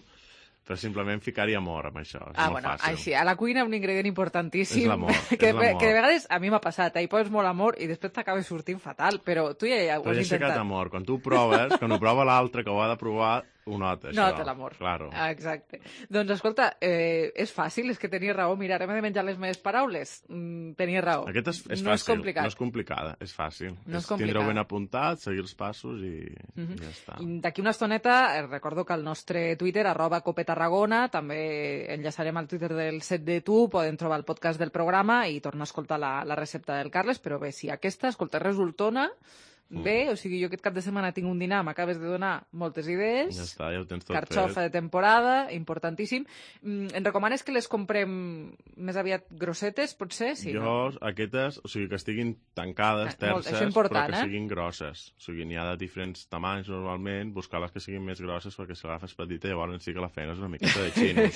però simplement ficar-hi amor amb això. És Ah, molt bueno, fàcil. així, a la cuina un ingredient importantíssim. És l'amor, que, és l'amor. que de vegades a mi m'ha passat, eh? Hi poses molt amor i després t'acabes sortint fatal, però tu ja, ja ho Però has ja has ficat intentat. amor. Quan tu ho proves, quan ho prova l'altre que ho ha de provar, ho nota, això. Nota l'amor. Claro. Ah, exacte. Doncs escolta, eh, és fàcil, és que tenies raó. Mira, ara m'he de menjar les meves paraules. Mm, tenies raó. Aquest és, és no fàcil, és complicat. no és complicada, és fàcil. No és complicada. Tindreu ben apuntat, seguir els passos i, Mhm. i ja està. I D'aquí una estoneta, eh, recordo que al nostre Twitter, arroba Cope Tarragona, també enllaçarem al Twitter del Set de Tu, poden trobar el podcast del programa i tornar a escoltar la, la recepta del Carles, però bé, si aquesta, escolta, resultona, bé, o sigui, jo aquest cap de setmana tinc un dinar, m'acabes de donar moltes idees. Ja està, ja ho tens tot Carxofa fet. de temporada, importantíssim. Mm, em recomanes que les comprem més aviat grossetes, potser? Sí, jo, no? aquestes, o sigui, que estiguin tancades, Ah, molt, terces, això important, però que eh? siguin grosses. O sigui, n'hi ha de diferents tamanys, normalment, buscar les que siguin més grosses, perquè si l'agafes petita, llavors sí que la feina és una miqueta de xinos.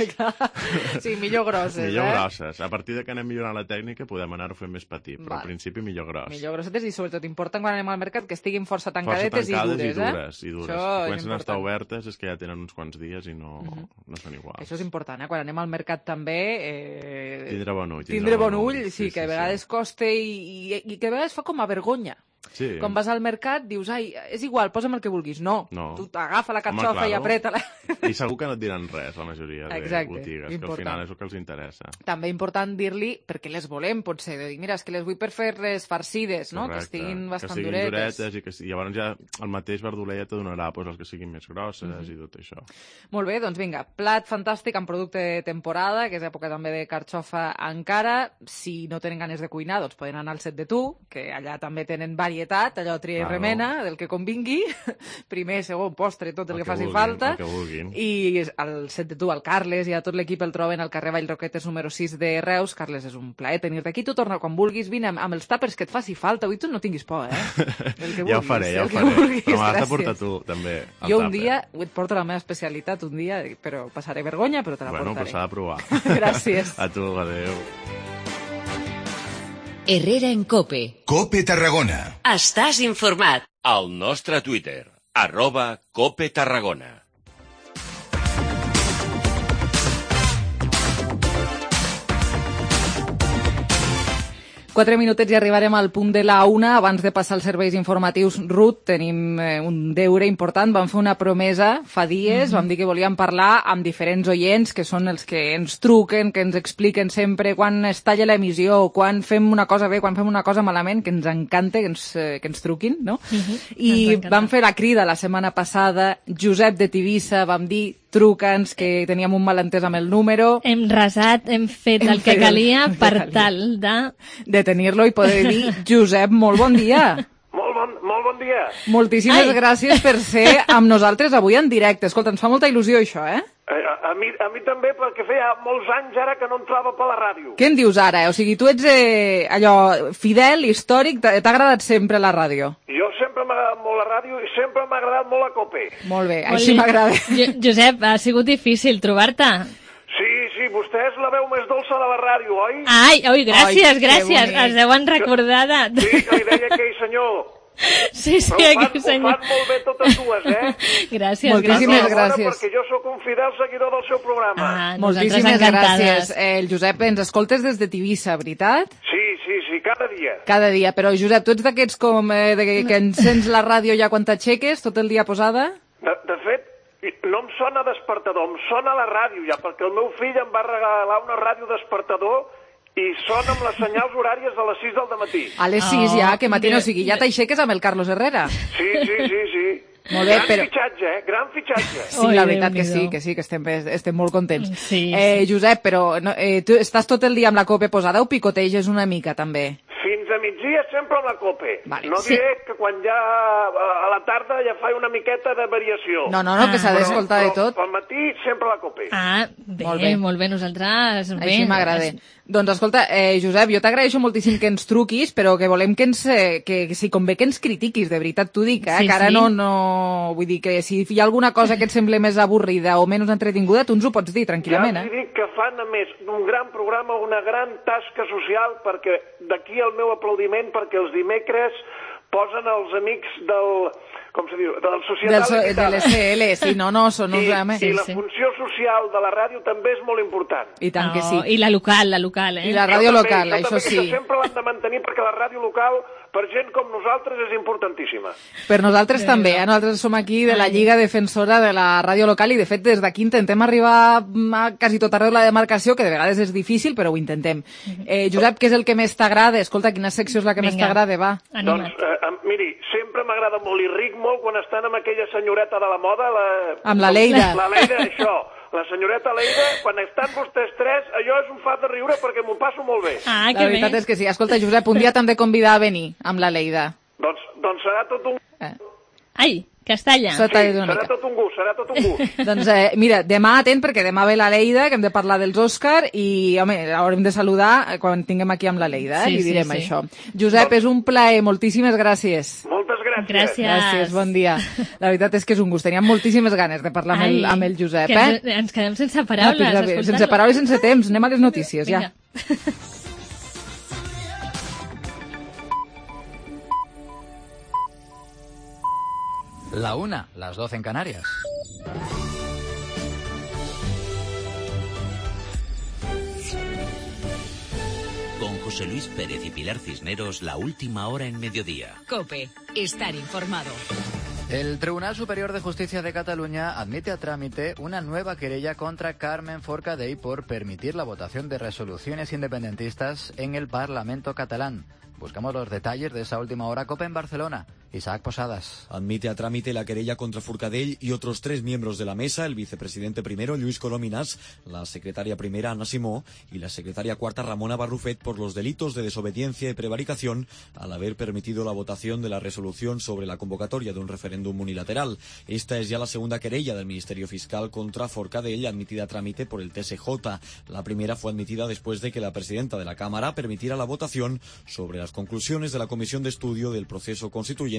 Sí, millor grosses, millor eh? grosses. A partir de que anem millorant la tècnica, podem anar-ho fent més petit, però Val. al principi millor gros. Millor grossetes i sobretot important quan anem al mercat que estiguin força Força tancadetes tancades i dures, i dures, eh? i dures. Això Si és comencen a estar important. obertes és que ja tenen uns quants dies i no, Mhm. no són iguals. Això és important, eh? Quan anem al mercat també... Eh... Tindre bon ull. Tindre bon ull, sí, sí, que a sí, vegades costa i, i, i que a vegades fa com a vergonya. Sí. Quan vas al mercat dius, ai, és igual, posa'm el que vulguis. No, No. tu agafa la Home, carxofa i claro. apreta-la. I segur que no et diran res, la majoria de Exacte, botigues, que al important. final és el que els interessa. També important dir-li perquè les volem, potser, de dir, mira, és que les vull per fer-les farcides, no? Que Correcte. estiguin bastant que siguin duretes. duretes i que i llavors ja el mateix verdoler ja te donarà pues, els que siguin més grosses Mhm. i tot això. Molt bé, doncs vinga, plat fantàstic amb producte de temporada, que és època també de carxofa encara. Si no tenen ganes de cuinar, doncs poden anar al set de tu, que allà també tenen varietat, allò tria i Claro. remena, del que convingui. Primer, segon, postre, tot el, El que, que faci vulguin, falta. el que vulguin. I al set de tu, el Carles i a tot l'equip el troben al carrer Vallroquetes número sis de Reus. Carles, és un plaer tenir-te aquí. Tu torna quan vulguis, vine amb, amb els tàpers que et faci falta. Avui tu no tinguis por, eh? El que Ja ho vulguis, faré, ja el ho que faré. vulguis, Però m'has de gràcies. portar tu, també, el Jo un tàper. dia et porto la meva especialitat, un dia, però passaré vergonya, però te la Bueno, però portaré. s'ha de provar. Gràcies. A tu, adéu. Herrera en Cope. Cope Tarragona. Estàs informat. Al nostre Twitter, arroba Cope Tarragona. Quatre minutets i arribarem al punt de la una. Abans de passar als serveis informatius, Ruth, tenim eh, un deure important. Vam fer una promesa fa dies, Mhm. vam dir que volíem parlar amb diferents oients, que són els que ens truquen, que ens expliquen sempre quan es talla l'emissió, quan fem una cosa bé, quan fem una cosa malament, que ens encanta que ens, eh, que ens truquin, no? I Ens encanta. vam fer la crida la setmana passada. Josep de Tivissa, vam dir, truca'ns, que teníem un malentès amb el número. Hem resat, hem fet Hem el que fet el- calia el que per calia. tal de... De tenir-lo i poder dir, Josep, molt bon dia. Molt bon, molt bon dia. Moltíssimes Ai. gràcies per ser amb nosaltres avui en directe. Escolta, ens fa molta il·lusió això, eh? Eh, A, a, mi, a mi també, perquè feia molts anys ara que no entrava per la ràdio. Què en dius ara? O sigui, tu ets eh, allò fidel, històric, t'ha t'ha agradat sempre la ràdio? Jo sempre m'ha agradat molt la ràdio i sempre m'ha agradat molt la Cope. Molt bé, Molt així bé. m'agrada. Jo- Josep, ha sigut difícil trobar-te. Sí, sí, vostè és la veu més dolça de la ràdio, oi? Ai, oi, gràcies, Ai, que gràcies. bonic. Es deuen recordar de... Sí, que li deia aquell senyor. Sí, sí, Però ho fan, aquell ho senyor. fan molt bé totes dues, eh? Gràcies, Moltíssimes gràcies. gràcies. Perquè jo sóc un fidel seguidor del seu programa. Ah, Moltíssimes gràcies. Eh, el Josep, ens escoltes des de Tivissa, veritat? Sí, sí, sí, cada dia. Cada dia. Però, Josep, tu ets d'aquests com eh, de, que, que encens la ràdio ja quan t'aixeques, tot el dia posada? De, de fet, no em sona despertador, em sona la ràdio ja, perquè el meu fill em va regalar una ràdio despertador i sona amb les senyals horàries de les sis del dematí. A les sis Oh, ja, que matino, o sigui, ja t'aixeques amb el Carlos Herrera. Sí, sí, sí, sí. Molt bé, gran però- fitxatge, eh? Gran fitxatge. Sí, la veritat que sí, que sí, que estem, estem molt contents. Sí, eh, Josep, però no, eh, tu estàs tot el dia amb la cope posada o picoteges una mica, també? Fins a migdia sempre amb la Cope. Vale, no sí. diré que quan ja a la tarda ja fa una miqueta de variació. No, no, no, que s'ha Però- d'escoltar de però tot. Al matí sempre la Cope. Ah, bé, Molt molt bé. bé, molt bé. Nosaltres... Bé, Així m'agrada. Doncs escolta, eh, Josep, jo t'agraeixo moltíssim que ens truquis, però que volem que ens, eh, que, que si convé que ens critiquis, de veritat t'ho dic, eh? Sí, que ara sí. no, no... Vull dir que si hi ha alguna cosa que et sembla més avorrida o menys entretinguda, tu ens ho pots dir tranquil·lament, ja els eh? dic que fan, a més, un gran programa, una gran tasca social, perquè d'aquí el meu aplaudiment, perquè els dimecres posen els amics del... com se diu? Del Societat Del so, de Limitada. l'S L, sí, no, no, són uns... I, home. I la funció social de la ràdio també és molt important. I tant que sí. I la local, la local, eh? I la ràdio Jo local, també, jo això també, sí. Que sempre l'han de mantenir perquè la ràdio local, per gent com nosaltres, és importantíssima. Per nosaltres també, eh? Nosaltres som aquí de la Lliga Defensora de la Ràdio Local i, de fet, des d'aquí intentem arribar a quasi tot arreu de la demarcació, que de vegades és difícil, però ho intentem. Eh, Josep, què és el que més t'agrada? Escolta, quina secció és la que més Vinga. t'agrada? Va. Doncs, eh, em- miri, sempre m'agrada molt i ric molt quan estan amb aquella senyoreta de la moda, la... Amb la Leida. La Leida, això. La senyoreta Leida, quan estan vostès tres, allò és un fat de riure perquè m'ho passo molt bé. Ah, La veritat és que sí. Escolta, Josep, un dia t'hem de convidar a venir amb la Leida. Doncs doncs serà tot un... Eh. Ai, Castalla. S'ha tallat una serà mica. tot un gust, serà tot un gust. Doncs eh, mira, demà atent, perquè demà ve la Leida, que hem de parlar dels Òscar, i home, haurem de saludar quan tinguem aquí amb la Leida, eh? Sí, I sí, direm sí. això. Josep, és un plaer, moltíssimes gràcies. Moltes gràcies. Gràcies. Gràcies, bon dia. La veritat és que és un gust, teníem moltíssimes ganes de parlar amb el, Ai, amb el Josep, que eh? ens, ens quedem sense paraules. Ah, escoltant-lo. sense paraules, sense temps, anem a les notícies, Vinga. ja. La una, las doce en Canarias. Con José Luis Pérez y Pilar Cisneros, la última hora en mediodía. COPE. Estar informado. El Tribunal Superior de Justicia de Cataluña admite a trámite una nueva querella contra Carmen Forcadell por permitir la votación de resoluciones independentistas en el Parlamento catalán. Buscamos los detalles de esa última hora. COPE en Barcelona. Isaac Posadas. Admite a trámite la querella contra Forcadell y otros tres miembros de la mesa, el vicepresidente primero, Lluís Colòminas, la secretaria primera, Anna Simó, y la secretaria cuarta, Ramona Barrufet, por los delitos de desobediencia y prevaricación al haber permitido la votación de la resolución sobre la convocatoria de un referéndum unilateral. Esta es ya la segunda querella del Ministerio Fiscal contra Forcadell, admitida a trámite por el T S J. La primera fue admitida después de que la presidenta de la Cámara permitiera la votación sobre las conclusiones de la Comisión de Estudio del Proceso Constituyente,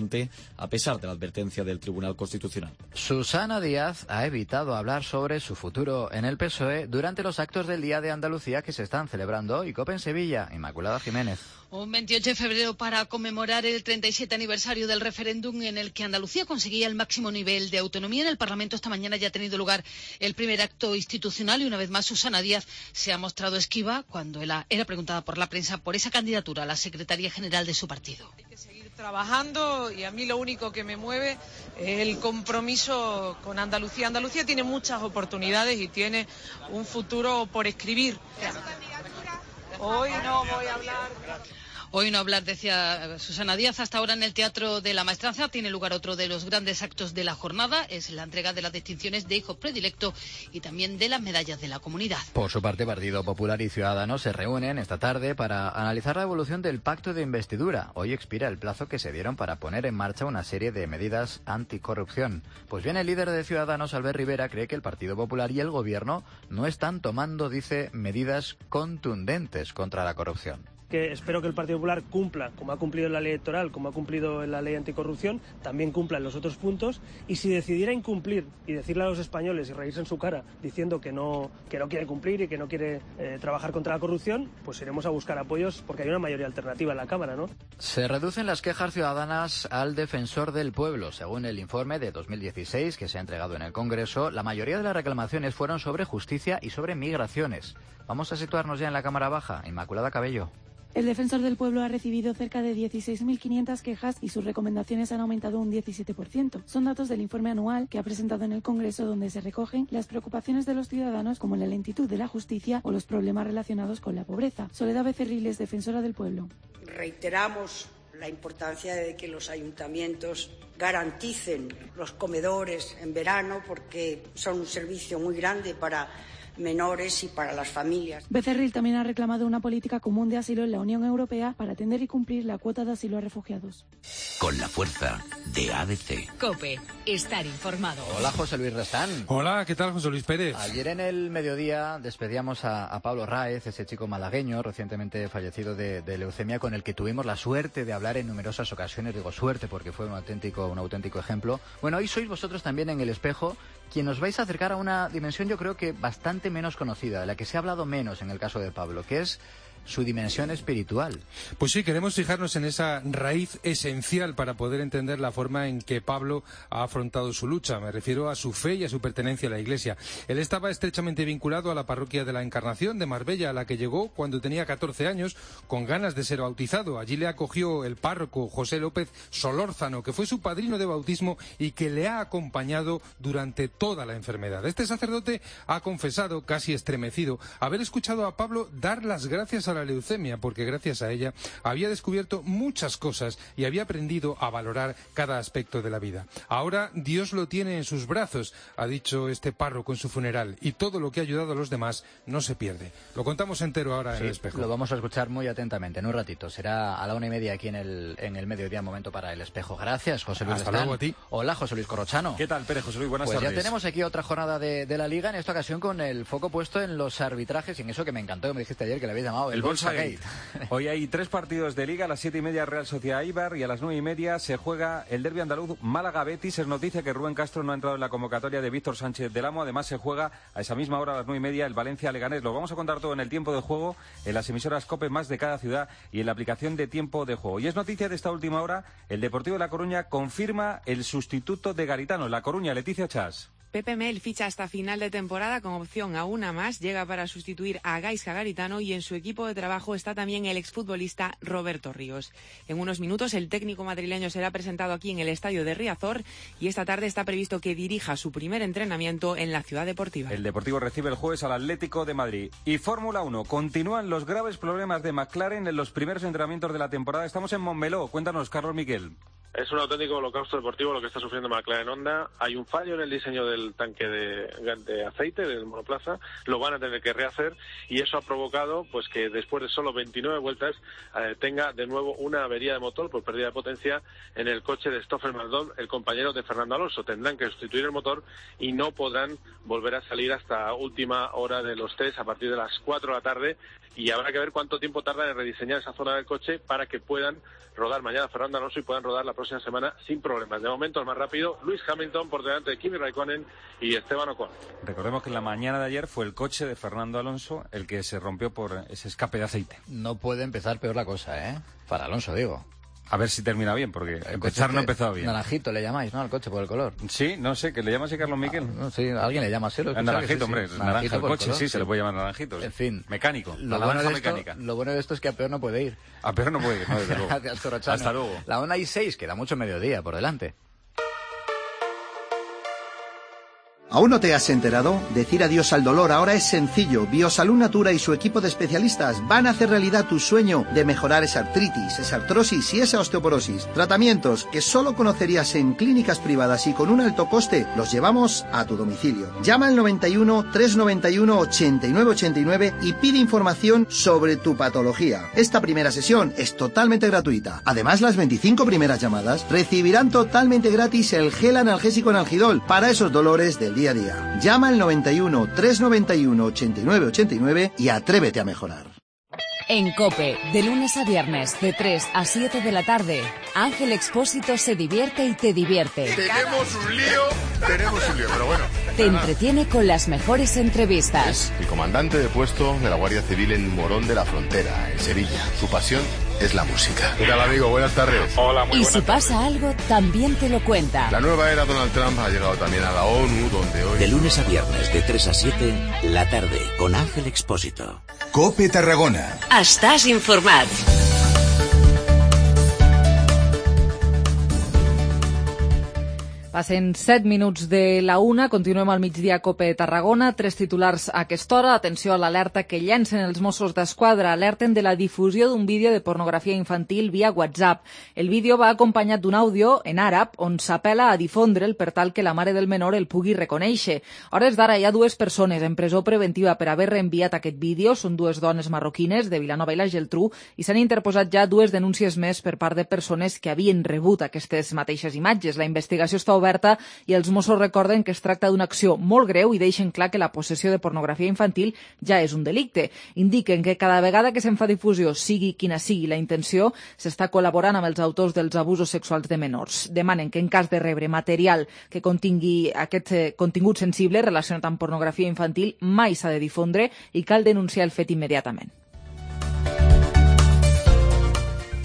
a pesar de la advertencia del Tribunal Constitucional. Susana Díaz ha evitado hablar sobre su futuro en el P S O E durante los actos del Día de Andalucía que se están celebrando hoy. COPE en Sevilla. Inmaculada Jiménez. Un veintiocho de febrero para conmemorar el treinta y siete aniversario del referéndum en el que Andalucía conseguía el máximo nivel de autonomía. En el Parlamento esta mañana ya ha tenido lugar el primer acto institucional y una vez más Susana Díaz se ha mostrado esquiva cuando era preguntada por la prensa por esa candidatura a la Secretaría General de su partido. Trabajando y a mí lo único que me mueve es el compromiso con Andalucía. Andalucía tiene muchas oportunidades y tiene un futuro por escribir. Hoy no voy a hablar. Hoy no hablar, decía Susana Díaz. Hasta ahora en el Teatro de la Maestranza tiene lugar otro de los grandes actos de la jornada. Es la entrega de las distinciones de hijo predilecto y también de las medallas de la comunidad. Por su parte, Partido Popular y Ciudadanos se reúnen esta tarde para analizar la evolución del pacto de investidura. Hoy expira el plazo que se dieron para poner en marcha una serie de medidas anticorrupción. Pues bien, el líder de Ciudadanos, Albert Rivera, cree que el Partido Popular y el Gobierno no están tomando, dice, medidas contundentes contra la corrupción. Que espero que el Partido Popular cumpla, como ha cumplido en la ley electoral, como ha cumplido en la ley anticorrupción, también cumpla en los otros puntos, y si decidiera incumplir y decirle a los españoles y reírse en su cara diciendo que no, que no quiere cumplir y que no quiere eh, trabajar contra la corrupción, pues iremos a buscar apoyos porque hay una mayoría alternativa en la Cámara, ¿no? Se reducen las quejas ciudadanas al Defensor del Pueblo. Según el informe de dos mil dieciséis que se ha entregado en el Congreso, la mayoría de las reclamaciones fueron sobre justicia y sobre migraciones. Vamos a situarnos ya en la Cámara Baja. Inmaculada Cabello. El Defensor del Pueblo ha recibido cerca de dieciséis mil quinientas quejas y sus recomendaciones han aumentado un diecisiete por ciento. Son datos del informe anual que ha presentado en el Congreso, donde se recogen las preocupaciones de los ciudadanos como la lentitud de la justicia o los problemas relacionados con la pobreza. Soledad Becerriles, Defensora del Pueblo. Reiteramos la importancia de que los ayuntamientos garanticen los comedores en verano porque son un servicio muy grande para menores y para las familias. Becerril también ha reclamado una política común de asilo en la Unión Europea para atender y cumplir la cuota de asilo a refugiados. Con la fuerza de A D C. COPE. Estar informado. Hola, José Luis Restán. Hola, ¿qué tal, José Luis Pérez? Ayer en el mediodía despedíamos a, a Pablo Ráez, ese chico malagueño recientemente fallecido de, de leucemia, con el que tuvimos la suerte de hablar en numerosas ocasiones. Digo suerte porque fue un auténtico, un auténtico ejemplo. Bueno, hoy sois vosotros también en El Espejo quien os vais a acercar a una dimensión, yo creo que bastante menos conocida, de la que se ha hablado menos en el caso de Pablo, que es su dimensión espiritual. Pues sí, queremos fijarnos en esa raíz esencial para poder entender la forma en que Pablo ha afrontado su lucha. Me refiero a su fe y a su pertenencia a la Iglesia. Él estaba estrechamente vinculado a la parroquia de la Encarnación de Marbella, a la que llegó cuando tenía catorce años, con ganas de ser bautizado. Allí le acogió el párroco José López Solórzano, que fue su padrino de bautismo y que le ha acompañado durante toda la enfermedad. Este sacerdote ha confesado, casi estremecido, haber escuchado a Pablo dar las gracias a gracias a la leucemia, porque gracias a ella había descubierto muchas cosas y había aprendido a valorar cada aspecto de la vida. Ahora Dios lo tiene en sus brazos, ha dicho este párroco en su funeral, y todo lo que ha ayudado a los demás no se pierde. Lo contamos entero ahora Sí, en El Espejo. Lo vamos a escuchar muy atentamente en un ratito. Será a la una y media aquí en el, en el mediodía, momento para El Espejo. Gracias, José Luis. Hasta Lestán. luego a ti. Hola, José Luis Corrochano. ¿Qué tal, Pérez? José Luis, buenas pues tardes. Ya tenemos aquí otra jornada de, de la Liga, en esta ocasión con el foco puesto en los arbitrajes y en eso que me encantó, que me dijiste ayer que le habéis llamado el, el Bolsa Bolsa Gate. Hoy hay tres partidos de Liga, a las siete y media Real Sociedad Eibar y a las nueve y media se juega el derbi andaluz Málaga-Betis. Es noticia que Rubén Castro no ha entrado en la convocatoria de Víctor Sánchez del Amo. Además se juega a esa misma hora, a las nueve y media, el Valencia-Leganés. Lo vamos a contar todo en el tiempo de juego, en las emisoras COPE más de cada ciudad y en la aplicación de tiempo de juego. Y es noticia de esta última hora, el Deportivo de La Coruña confirma el sustituto de Garitano. La Coruña, Leticia Chas. Pepe Mel ficha hasta final de temporada con opción a una más, llega para sustituir a Gaizka Garitano y en su equipo de trabajo está también el exfutbolista Roberto Ríos. En unos minutos el técnico madrileño será presentado aquí en el estadio de Riazor y esta tarde está previsto que dirija su primer entrenamiento en la ciudad deportiva. El Deportivo recibe el jueves al Atlético de Madrid. Y Fórmula uno, continúan los graves problemas de McLaren en los primeros entrenamientos de la temporada. Estamos en Montmeló, cuéntanos, Carlos Miquel. Es un auténtico holocausto deportivo lo que está sufriendo McLaren Honda. Hay un fallo en el diseño del tanque de, de aceite del monoplaza, lo van a tener que rehacer y eso ha provocado pues que después de solo veintinueve vueltas eh, tenga de nuevo una avería de motor por pérdida de potencia en el coche de Stoffel Maldon, el compañero de Fernando Alonso. Tendrán que sustituir el motor y no podrán volver a salir hasta última hora de los test a partir de las cuatro de la tarde y habrá que ver cuánto tiempo tardan en rediseñar esa zona del coche para que puedan rodar mañana Fernando Alonso y puedan rodar la próxima semana sin problemas. De momento el más rápido, Lewis Hamilton por delante de Kimi Raikkonen y Esteban Ocon. Recordemos que en la mañana de ayer fue el coche de Fernando Alonso el que se rompió por ese escape de aceite. No puede empezar peor la cosa, ¿eh? Para Alonso, digo. A ver si termina bien, porque empezar no ha empezado bien. Naranjito le llamáis, ¿no? Al coche por el color. Sí, no sé, que le llama así Carlos Miquel. Ah, no, sí, alguien le llama así. Lo naranjito, sí, sí. hombre, Naranjito naranja el coche, color, sí, sí, se le puede llamar naranjito. En fin. Mecánico, lo la bueno naranja de esto, mecánica. Lo bueno de esto es que a peor no puede ir. A peor no puede ir, no, desde luego. Gracias, Corrochano. Hasta luego. La una y seis, queda mucho mediodía por delante. ¿Aún no te has enterado? Decir adiós al dolor ahora es sencillo. Biosalud Natura y su equipo de especialistas van a hacer realidad tu sueño de mejorar esa artritis, esa artrosis y esa osteoporosis. Tratamientos que solo conocerías en clínicas privadas y con un alto coste, los llevamos a tu domicilio. Llama al noventa y uno, trescientos noventa y uno, ochenta y nueve ochenta y nueve y pide información sobre tu patología. Esta primera sesión es totalmente gratuita. Además, las veinticinco primeras llamadas recibirán totalmente gratis el gel analgésico Analgidol para esos dolores del día a día. Llama al noventa y uno, trescientos noventa y uno, ochenta y nueve ochenta y nueve y atrévete a mejorar. En COPE, de lunes a viernes, de tres a siete de la tarde, Ángel Expósito se divierte y te divierte. Tenemos un lío, tenemos un lío, pero bueno. Te entretiene con las mejores entrevistas. El comandante de puesto de la Guardia Civil en Morón de la Frontera, en Sevilla. Su pasión es la música. ¿Qué tal, amigo? Buenas tardes. Hola, muy buenas tardes. Y si pasa algo, también te lo cuenta. La nueva era Donald Trump ha llegado también a la ONU, donde hoy... De lunes a viernes, de tres a siete, la tarde, con Ángel Expósito. COPE Tarragona. Estàs informat. Passen set minuts de la una, continuem al migdia a COPE Tarragona, tres titulars a aquesta hora. Atenció a l'alerta que llancen els Mossos d'Esquadra, alerten de la difusió d'un vídeo de pornografia infantil via WhatsApp. El vídeo va acompanyat d'un àudio en àrab on s'apela a difondre'l per tal que la mare del menor el pugui reconèixer. A hores d'ara hi ha dues persones en presó preventiva per haver reenviat aquest vídeo. Són dues dones marroquines de Vilanova i la Geltrú i s'han interposat ja dues denúncies més per part de persones que havien rebut aquestes mateixes imatges. La investigació està oberta i els Mossos recorden que es tracta d'una acció molt greu i deixen clar que la possessió de pornografia infantil ja és un delicte. Indiquen que cada vegada que se'n fa difusió, sigui quina sigui la intenció, s'està col·laborant amb els autors dels abusos sexuals de menors. Demanen que en cas de rebre material que contingui aquest contingut sensible relacionat amb pornografia infantil mai s'ha de difondre i cal denunciar el fet immediatament.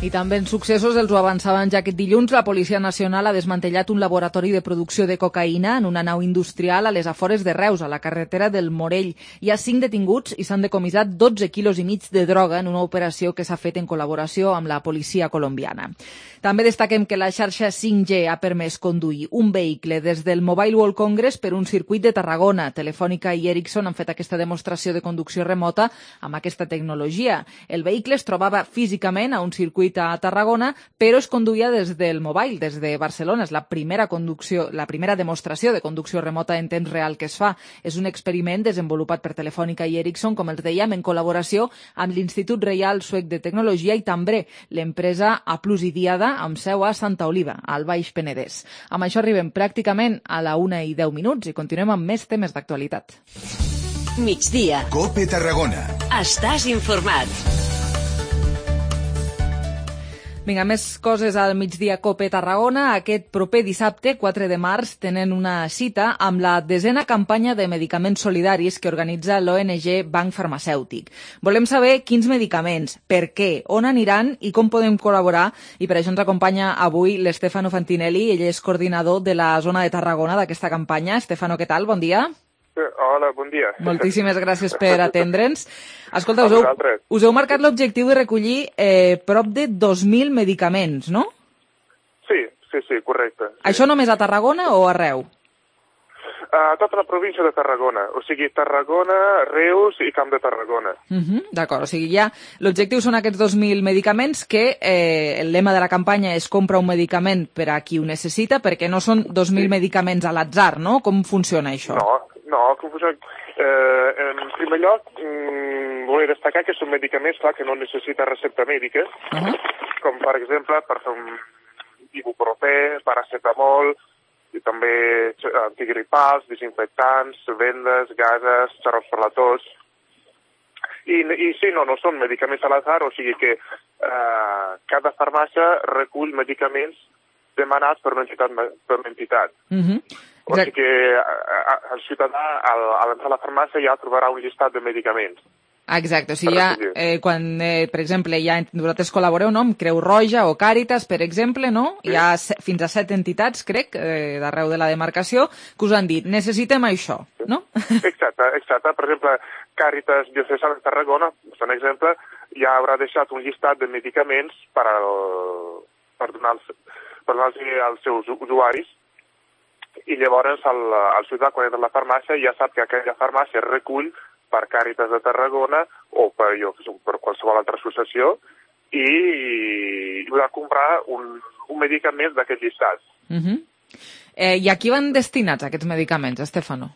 I també en successos, els ho avançaven ja aquest dilluns, la Policia Nacional ha desmantellat un laboratori de producció de cocaïna en una nau industrial a les afores de Reus, a la carretera del Morell. Hi ha cinc detinguts i s'han decomissat dotze quilos i mig de droga en una operació que s'ha fet en col·laboració amb la policia colombiana. També destaquem que la xarxa cinc G ha permès conduir un vehicle des del Mobile World Congress per un circuit de Tarragona. Telefònica i Ericsson han fet aquesta demostració de conducció remota amb aquesta tecnologia. El vehicle es trobava físicament a un circuit a Tarragona, però es conduïa des del mobile, des de Barcelona. És la primera conducció, la primera demostració de conducció remota en temps real que es fa. És un experiment desenvolupat per Telefònica i Ericsson, com els dèiem, en col·laboració amb l'Institut Reial Suec de Tecnologia i també l'empresa A Plus i Diada, amb seu a Santa Oliva, al Baix Penedès. Amb això arribem pràcticament a la una i deu minuts i continuem amb més temes d'actualitat. Migdia. Cope Tarragona. Estàs informat. Vinga, més coses al migdia Cope Tarragona. Aquest proper dissabte, quatre de març, tenen una cita amb la desena campanya de medicaments solidaris que organitza l'O N G Banc Farmacèutic. Volem saber quins medicaments, per què, on aniran i com podem col·laborar. I per això ens acompanya avui l'Stefano Fantinelli. Ell és coordinador de la zona de Tarragona d'aquesta campanya. Stefano, què tal? Bon dia. Hola, bon dia. Moltíssimes gràcies per atendre'ns. Escolta, us heu, us heu marcat l'objectiu de recollir eh, prop de dos mil medicaments, no? Sí, sí, sí, correcte. Sí. Això només a Tarragona o arreu? A tota la província de Tarragona, o sigui, Tarragona, Reus i Camp de Tarragona. Uh -huh, D'acord, o sigui, ja l'objectiu són aquests dos mil medicaments que eh, el lema de la campanya és compra un medicament per a qui ho necessita, perquè no són dos mil sí. medicaments a l'atzar, no? Com funciona això? No, no, com funciona... Eh, en primer lloc, mm, vull destacar que són medicaments, clar, que no necessita recepta mèdica, uh -huh. com per exemple per fer un ibuprofè, paracetamol, i també antigripals, desinfectants, vendes, gases, xarrops per la tos. I, i sí, no, no són medicaments a l'atzar, o sigui que eh, cada farmàcia recull medicaments demanats per una entitat. Per una entitat. Uh -huh. O sigui que el ciutadà, a l'entrar a la farmàcia, ja trobarà un llistat de medicaments. Exacte, o sigui, ja, eh, quan, eh, per exemple, ja vosaltres col·laboreu, no?, amb Creu Roja o Càritas, per exemple, no?, sí. Hi ha fins a set entitats, crec, eh, d'arreu de la demarcació, que us han dit, necessitem això, no? Exacte, exacte. Per exemple, Càritas Diocesana de Tarragona, per exemple, ja haurà deixat un llistat de medicaments per, al, per donar-los per donar als seus usuaris, i llavors el, el ciutadà, quan entra a la farmàcia, ja sap que aquella farmàcia recull per Càritas de Tarragona o per, jo, per qualsevol altra associació i podrà comprar un, un medicament d'aquest llistat. Uh -huh. eh, I a qui van destinats aquests medicaments, Stefano?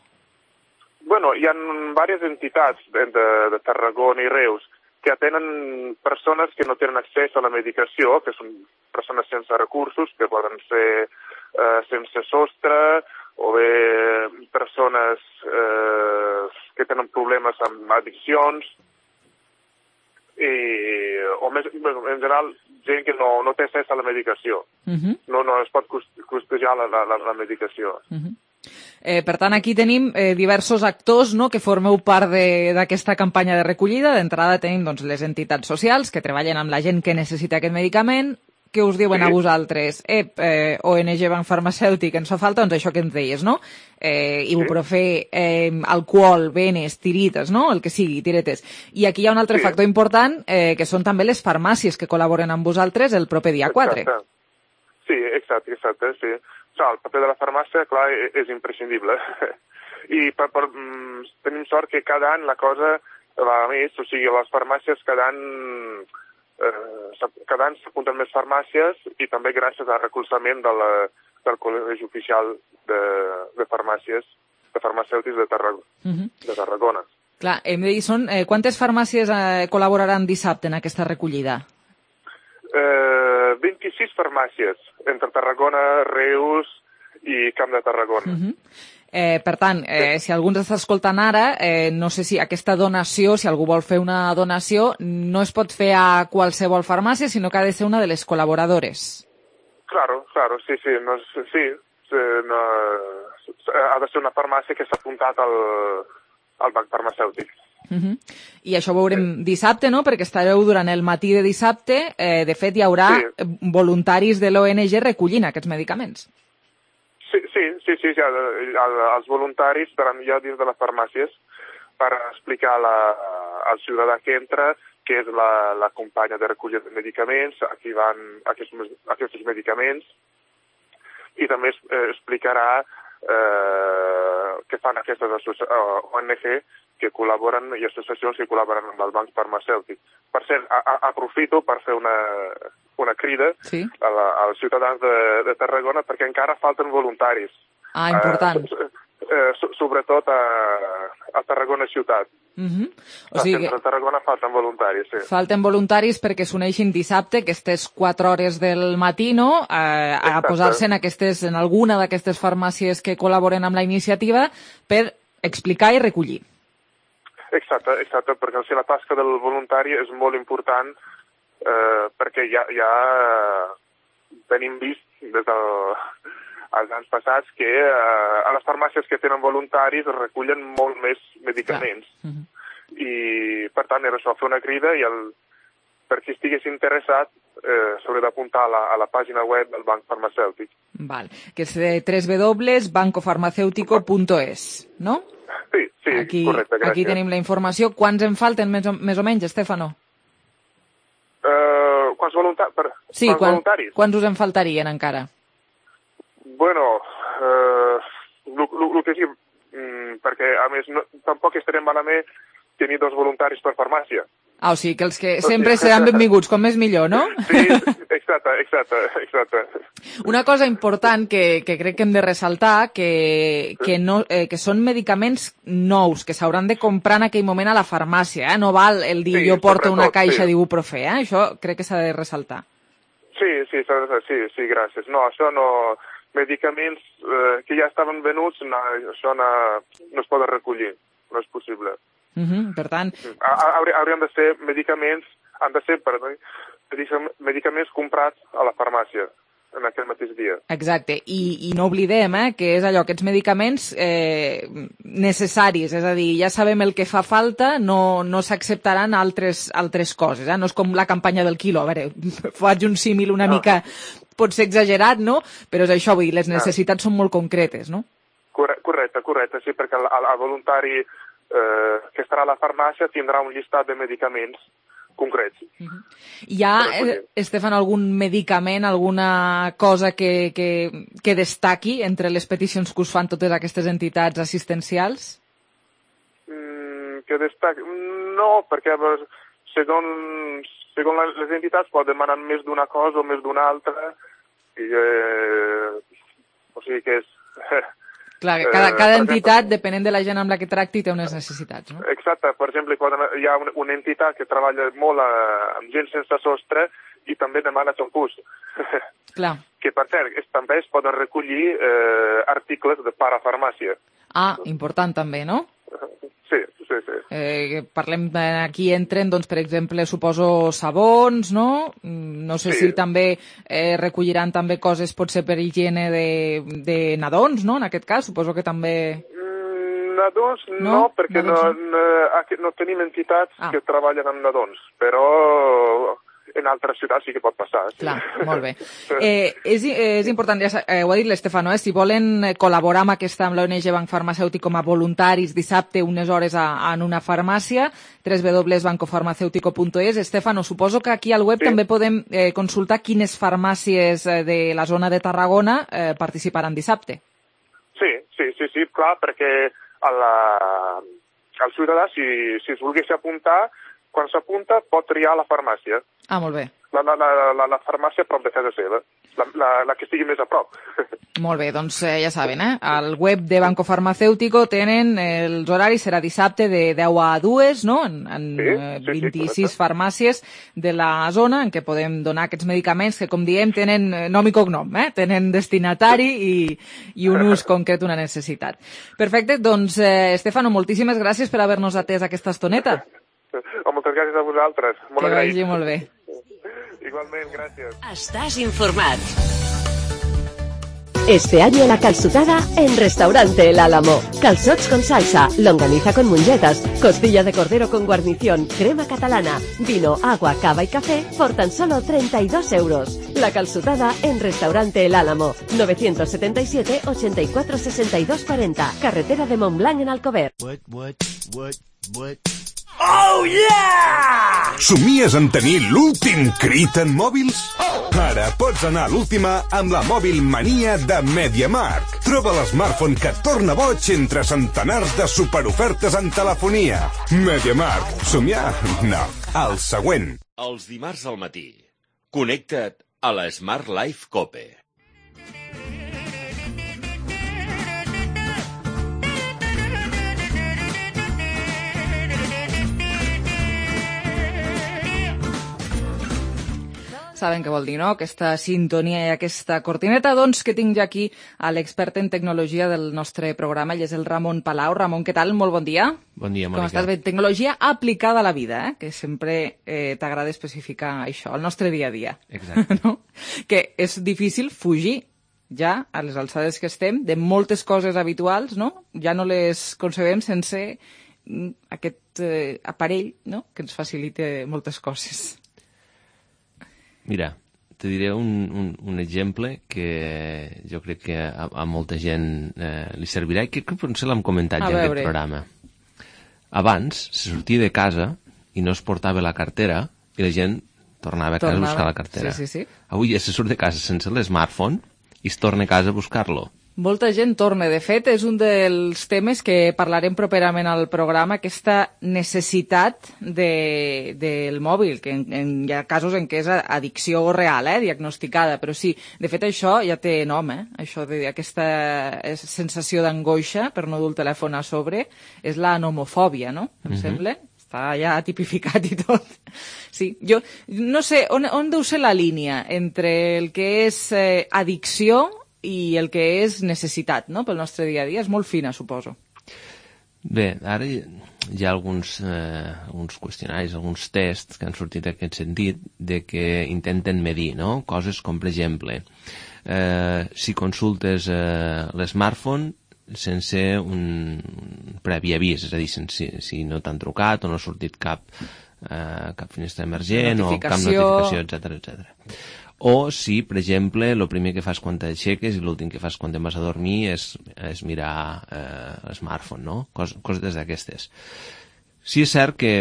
Bueno, hi ha diverses entitats de, de Tarragona i Reus que atenen persones que no tenen accés a la medicació, que són persones sense recursos, que poden ser eh, sense sostre, o bé persones eh, que tenen problemes amb addiccions, i, o més, en general, gent que no, no té accés a la medicació. Uh -huh. no, no es pot costejar la, la, la medicació. Uh -huh. Eh, per tant, aquí tenim eh, diversos actors, no?, que formeu part d'aquesta campanya de recollida. D'entrada tenim doncs, les entitats socials que treballen amb la gent que necessita aquest medicament. Què us diuen sí. a vosaltres? Ep, eh, O N G Banc Farmacèutic, ens fa falta doncs, això que ens deies, no? Eh, ibuprofè, eh, alcohol, venes, tirites, no? El que sigui, tiretes. I aquí hi ha un altre sí. factor important, eh, que són també les farmàcies que col·laboren amb vosaltres el proper dia quatre. Exacte. Sí, exacte, exacte, sí. El paper de la farmàcia, clar, és imprescindible. I per, per, mm, tenim sort que cada any la cosa va més, o sigui, les farmàcies cada any, eh, cada any s'apunten més farmàcies i també gràcies al recolzament de la, del Col·legi Oficial de, de Farmàcies, de Farmacèutics de Tarragona. Uh-huh. de Tarragona. Clar, hem de dir, són, eh, quantes farmàcies eh, col·laboraran dissabte en aquesta recollida? Eh, vint-i-sis farmàcies, entre Tarragona, Reus i Camp de Tarragona. Uh-huh. eh, per tant, eh, si algú ens està escoltant ara, eh, no sé si aquesta donació, si algú vol fer una donació, no es pot fer a qualsevol farmàcia, sinó que ha de ser una de les col·laboradores. Claro, claro, sí, sí, no, sí, no, ha de ser una farmàcia que s'ha apuntat al, al banc farmacèutic. Uh-huh. I això ho veurem dissabte, no?, perquè estareu durant el matí de dissabte. Eh, de fet, hi haurà sí. voluntaris de l'O N G recollint aquests medicaments. Sí, sí, sí, sí, sí. Els voluntaris estaran ja dins de les farmàcies per explicar la, al ciutadà que entra que és la, la companya de recollida de medicaments, aquí van aquests, aquests medicaments, i també eh, explicarà eh, què fan aquestes O N G que col·laboren i associacions que col·laboren amb el banc farmacèutic. Per cert, a, a, aprofito per fer una, una crida sí. a la, als ciutadans de, de Tarragona perquè encara falten voluntaris. Ah, important. Eh, eh, sobretot a, a Tarragona ciutat. Uh-huh. O sigui, a Tarragona falten voluntaris, sí. Falten voluntaris perquè s'uneixin dissabte, aquestes quatre hores del matí, no?, a, a posar-se en, aquestes, en alguna d'aquestes farmàcies que col·laboren amb la iniciativa per explicar i recollir. Exacte, exacte, perquè si la tasca del voluntari és molt important eh, perquè ja, ja tenim vist des dels anys passats que eh, a les farmàcies que tenen voluntaris es recullen molt més medicaments. Ja. Uh-huh. I, per tant, era això, fer una crida i el, per qui estigués interessat eh, s'hauria d'apuntar a, la, a la pàgina web del Banc Farmacèutic. Val, que és w w w punt banco farmacéutico punt es, no? Sí, sí, aquí, correcte, gràcies. Aquí tenim la informació. Quants en falten més o, més o menys, Estefano? Uh, quants, volunta per, sí, quants quan, voluntaris? Quants us en faltarien encara? Bueno, el que sí, mm, perquè a més no, tampoc estarem malament tenir dos voluntaris per farmàcia. Ah, o sigui que els que sempre seran benvinguts, com més millor, no? Sí, exacte, exacte, exacte. Una cosa important que, que crec que hem de ressaltar, que, que, no, eh, que són medicaments nous, que s'hauran de comprar en aquell moment a la farmàcia, eh? No val el dir sí, jo porto una caixa sí. d'ibuprofè, eh? Això crec que s'ha de ressaltar. Sí, sí, sí, sí, gràcies. No, això no... Medicaments eh, que ja estaven venuts, no, això no, no es poden recollir, no és possible. Uh-huh, per tant... Haurien de ser medicaments, han de ser, perdó, medicaments comprats a la farmàcia en aquell mateix dia. Exacte, i, i no oblidem eh, que és allò, aquests medicaments eh, necessaris, és a dir, ja sabem el que fa falta, no, no s'acceptaran altres, altres coses, eh? No és com la campanya del quilo, a veure, faig un símil una no. mica, pot ser exagerat, no? Però és això, vull dir, les necessitats no. són molt concretes, no? Correcte, correcte, sí, perquè el, el voluntari eh, que estarà a la farmàcia tindrà un llistat de medicaments concrets. Uh-huh. Hi ha, eh, Estefan, algun medicament, alguna cosa que, que, que destaqui entre les peticions que us fan totes aquestes entitats assistencials? Mm, que destaqui? No, perquè segons, segons les entitats poden demanar més d'una cosa o més d'una altra, i, eh, o sigui que és... Clar, cada, cada entitat, exemple, depenent de la gent amb la que tracti, té unes necessitats, no? Exacte. Per exemple, hi ha una, una entitat que treballa molt amb gent sense sostre i també demana xampús. Clar. Que, per cert, també es poden recollir eh, articles de parafarmàcia. Ah, important també, no? Sí, sí, sí. Eh, parlem, aquí entren, doncs, per exemple, suposo sabons, no? No sé sí. si també eh, recolliran també coses, potser per higiene de, de nadons, no? En aquest cas, suposo que també... Mm, nadons no, no perquè nadons no, no, no tenim entitats ah. que treballen amb nadons, però... en altres ciutats sí que pot passar. Sí. Clar, molt bé. Eh, és, és important, ja eh, ho ha dit l'Estefano, eh, si volen col·laborar amb aquesta, amb l'O N G Banc Farmacèutic com a voluntaris dissabte unes hores a, en una farmàcia, w w w punt banco farmacéutico punt es. Estefano, suposo que aquí al web sí. també podem eh, consultar quines farmàcies de la zona de Tarragona eh, participaran dissabte. Sí, sí, sí, sí, clar, perquè a la, el ciutadà, si, si es volgués apuntar, quan s'apunta pot triar la farmàcia. Ah, molt bé. La, la, la, la, la farmàcia a prop de casa seva, la, la, la que estigui més a prop. Molt bé, doncs eh, ja saben, eh? Al web de Banco Farmacéutico tenen els horaris, serà dissabte de deu a dues, no? En, en sí, sí, vint-i-sis sí, farmàcies de la zona en què podem donar aquests medicaments que, com diem, tenen nom i cognom, eh? Tenen destinatari i, i un ús concret, una necessitat. Perfecte, doncs, eh, Estefano, moltíssimes gràcies per haver-nos atès aquesta estoneta. Oh, moltes gràcies a vosaltres. Molt que agraït. vagi molt bé. Igualment, gràcies. Estàs informat. Este año la calçotada en Restaurante El Álamo. Calzots con salsa, longaniza con mungetas, costilla de cordero con guarnición, crema catalana, vino, agua, cava y café por tan solo treinta y dos euros. La calçotada en Restaurante El Álamo. novecientos setenta y siete, ochenta y cuatro, sesenta y dos cuarenta. Carretera de Montblanc en Alcover. What, what, what, what? Oh, yeah! Somies en tenir l'últim crit en mòbils? Ara pots anar a l'última amb la Mòbil Mania de MediaMarkt. Troba l'smartphone que et torna boig entre centenars de superofertes en telefonia. MediaMarkt. Somiar? No. El següent. Els dimarts al matí. Connecta't a la Smart Life Cope. Saben què vol dir, no?, aquesta sintonia i aquesta cortineta. Doncs que tinc ja aquí a l'expert en tecnologia del nostre programa, ell és el Ramon Palau. Ramon, què tal? Molt bon dia. Bon dia, Mònica. Com estàs bé? Tecnologia aplicada a la vida, eh? Que sempre eh, t'agrada especificar això, el nostre dia a dia. Exacte. No? Que és difícil fugir ja, a les alçades que estem, de moltes coses habituals, no? Ja no les concebem sense aquest eh, aparell, no?, que ens facilita moltes coses. Mira, te diré un, un, un exemple que jo crec que a, a molta gent eh, li servirà i que crec que potser l'hem comentat ja en aquest programa. Abans se sortia de casa i no es portava la cartera i la gent tornava a casa tornava. a buscar la cartera. Sí, sí, sí. Avui ja se surt de casa sense l'smartphone i es torna a casa a buscar-lo. Molta gent torna. De fet, és un dels temes que parlarem properament al programa, aquesta necessitat de, del mòbil, que en, en, hi ha casos en què és addicció real, eh, diagnosticada, però sí, de fet això ja té nom, eh? Això de, aquesta sensació d'angoixa per no dur el telèfon a sobre, és la nomofòbia, no? Em uh-huh. sembla? Està ja tipificat i tot. Sí, jo no sé, on, on deu ser la línia entre el que és eh, addicció i el que és necessitat, no?, pel nostre dia a dia. És molt fina, suposo. Bé, ara hi ha alguns, eh, alguns qüestionaris, alguns tests que han sortit en aquest sentit de que intenten medir, no?, coses com, per exemple, eh, si consultes eh, l'smartphone sense un previ avís, és a dir, si, si no t'han trucat o no ha sortit cap, eh, cap finestra emergent o cap notificació, etcètera, etcètera. O si, per exemple, el primer que fas quan t'aixeques i l'últim que fas quan te'n vas a dormir és, és mirar eh, l'smartphone, no? Cos, coses d'aquestes. Sí és cert que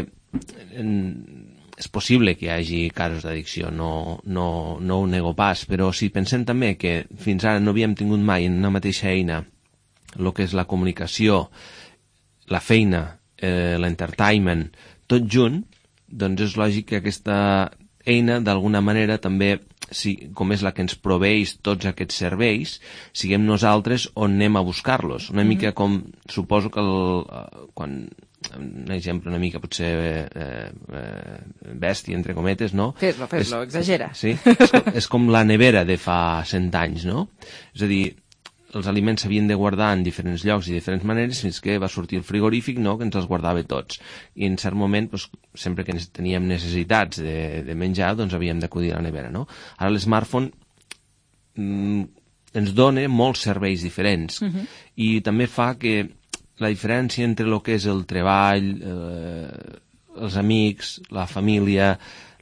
en, és possible que hi hagi casos d'addicció, no, no, no ho nego pas, però si pensem també que fins ara no havíem tingut mai en una mateixa eina el que és la comunicació, la feina, eh, l'entertainment, tot junt, doncs és lògic que aquesta eina, d'alguna manera, també, si, com és la que ens proveeix tots aquests serveis, siguem nosaltres on anem a buscar-los. Una mm-hmm. mica com, suposo que el, quan, un exemple una mica potser eh, eh, bèstia, entre cometes, no? Fes-lo, fes-lo, és, exagera. Sí, és com, és com la nevera de fa cent anys, no? És a dir, els aliments s'havien de guardar en diferents llocs i diferents maneres fins que va sortir el frigorífic, no?, que ens els guardava tots. I en cert moment, doncs, sempre que teníem necessitats de, de menjar, doncs havíem d'acudir a la nevera, no? Ara l'smartphone mm, ens dona molts serveis diferents uh-huh. i també fa que la diferència entre el que és el treball, eh, els amics, la família,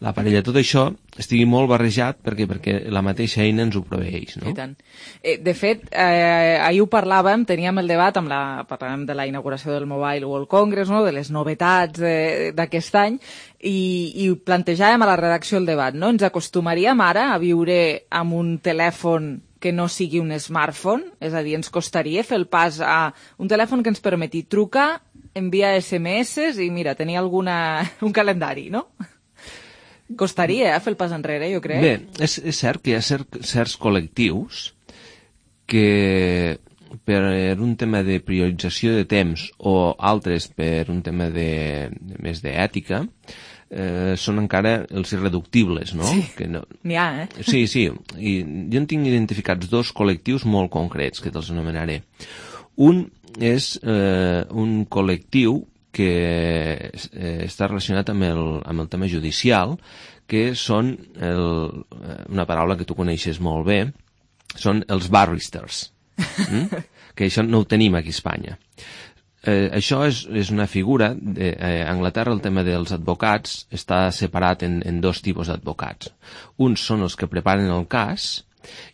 la parella, tot això estigui molt barrejat perquè perquè la mateixa eina ens ho proveeix, no? I tant. Eh, de fet, eh, ahir ho parlàvem, teníem el debat, amb la, parlàvem de la inauguració del Mobile World Congress, no?, de les novetats d'aquest any, i, i plantejàvem a la redacció el debat, no? Ens acostumaríem ara a viure amb un telèfon que no sigui un smartphone? És a dir, ens costaria fer el pas a un telèfon que ens permeti trucar, enviar esse eme esse i, mira, tenir alguna, un calendari, no? Costaria eh, fer el pas enrere, jo crec. Bé, és, és cert que hi ha cert, certs col·lectius que per un tema de priorització de temps o altres per un tema de, de més d'ètica eh, són encara els irreductibles, no? Sí, que no... n'hi ha, eh? Sí, sí, i jo en tinc identificats dos col·lectius molt concrets que te'ls anomenaré. Un és eh, un col·lectiu que eh, està relacionat amb el, amb el tema judicial, que són el, una paraula que tu coneixes molt bé, són els barristers, mm? que això no ho tenim aquí a Espanya. Eh, això és, és una figura, de, eh, a Anglaterra el tema dels advocats està separat en, en dos tipus d'advocats. Uns són els que preparen el cas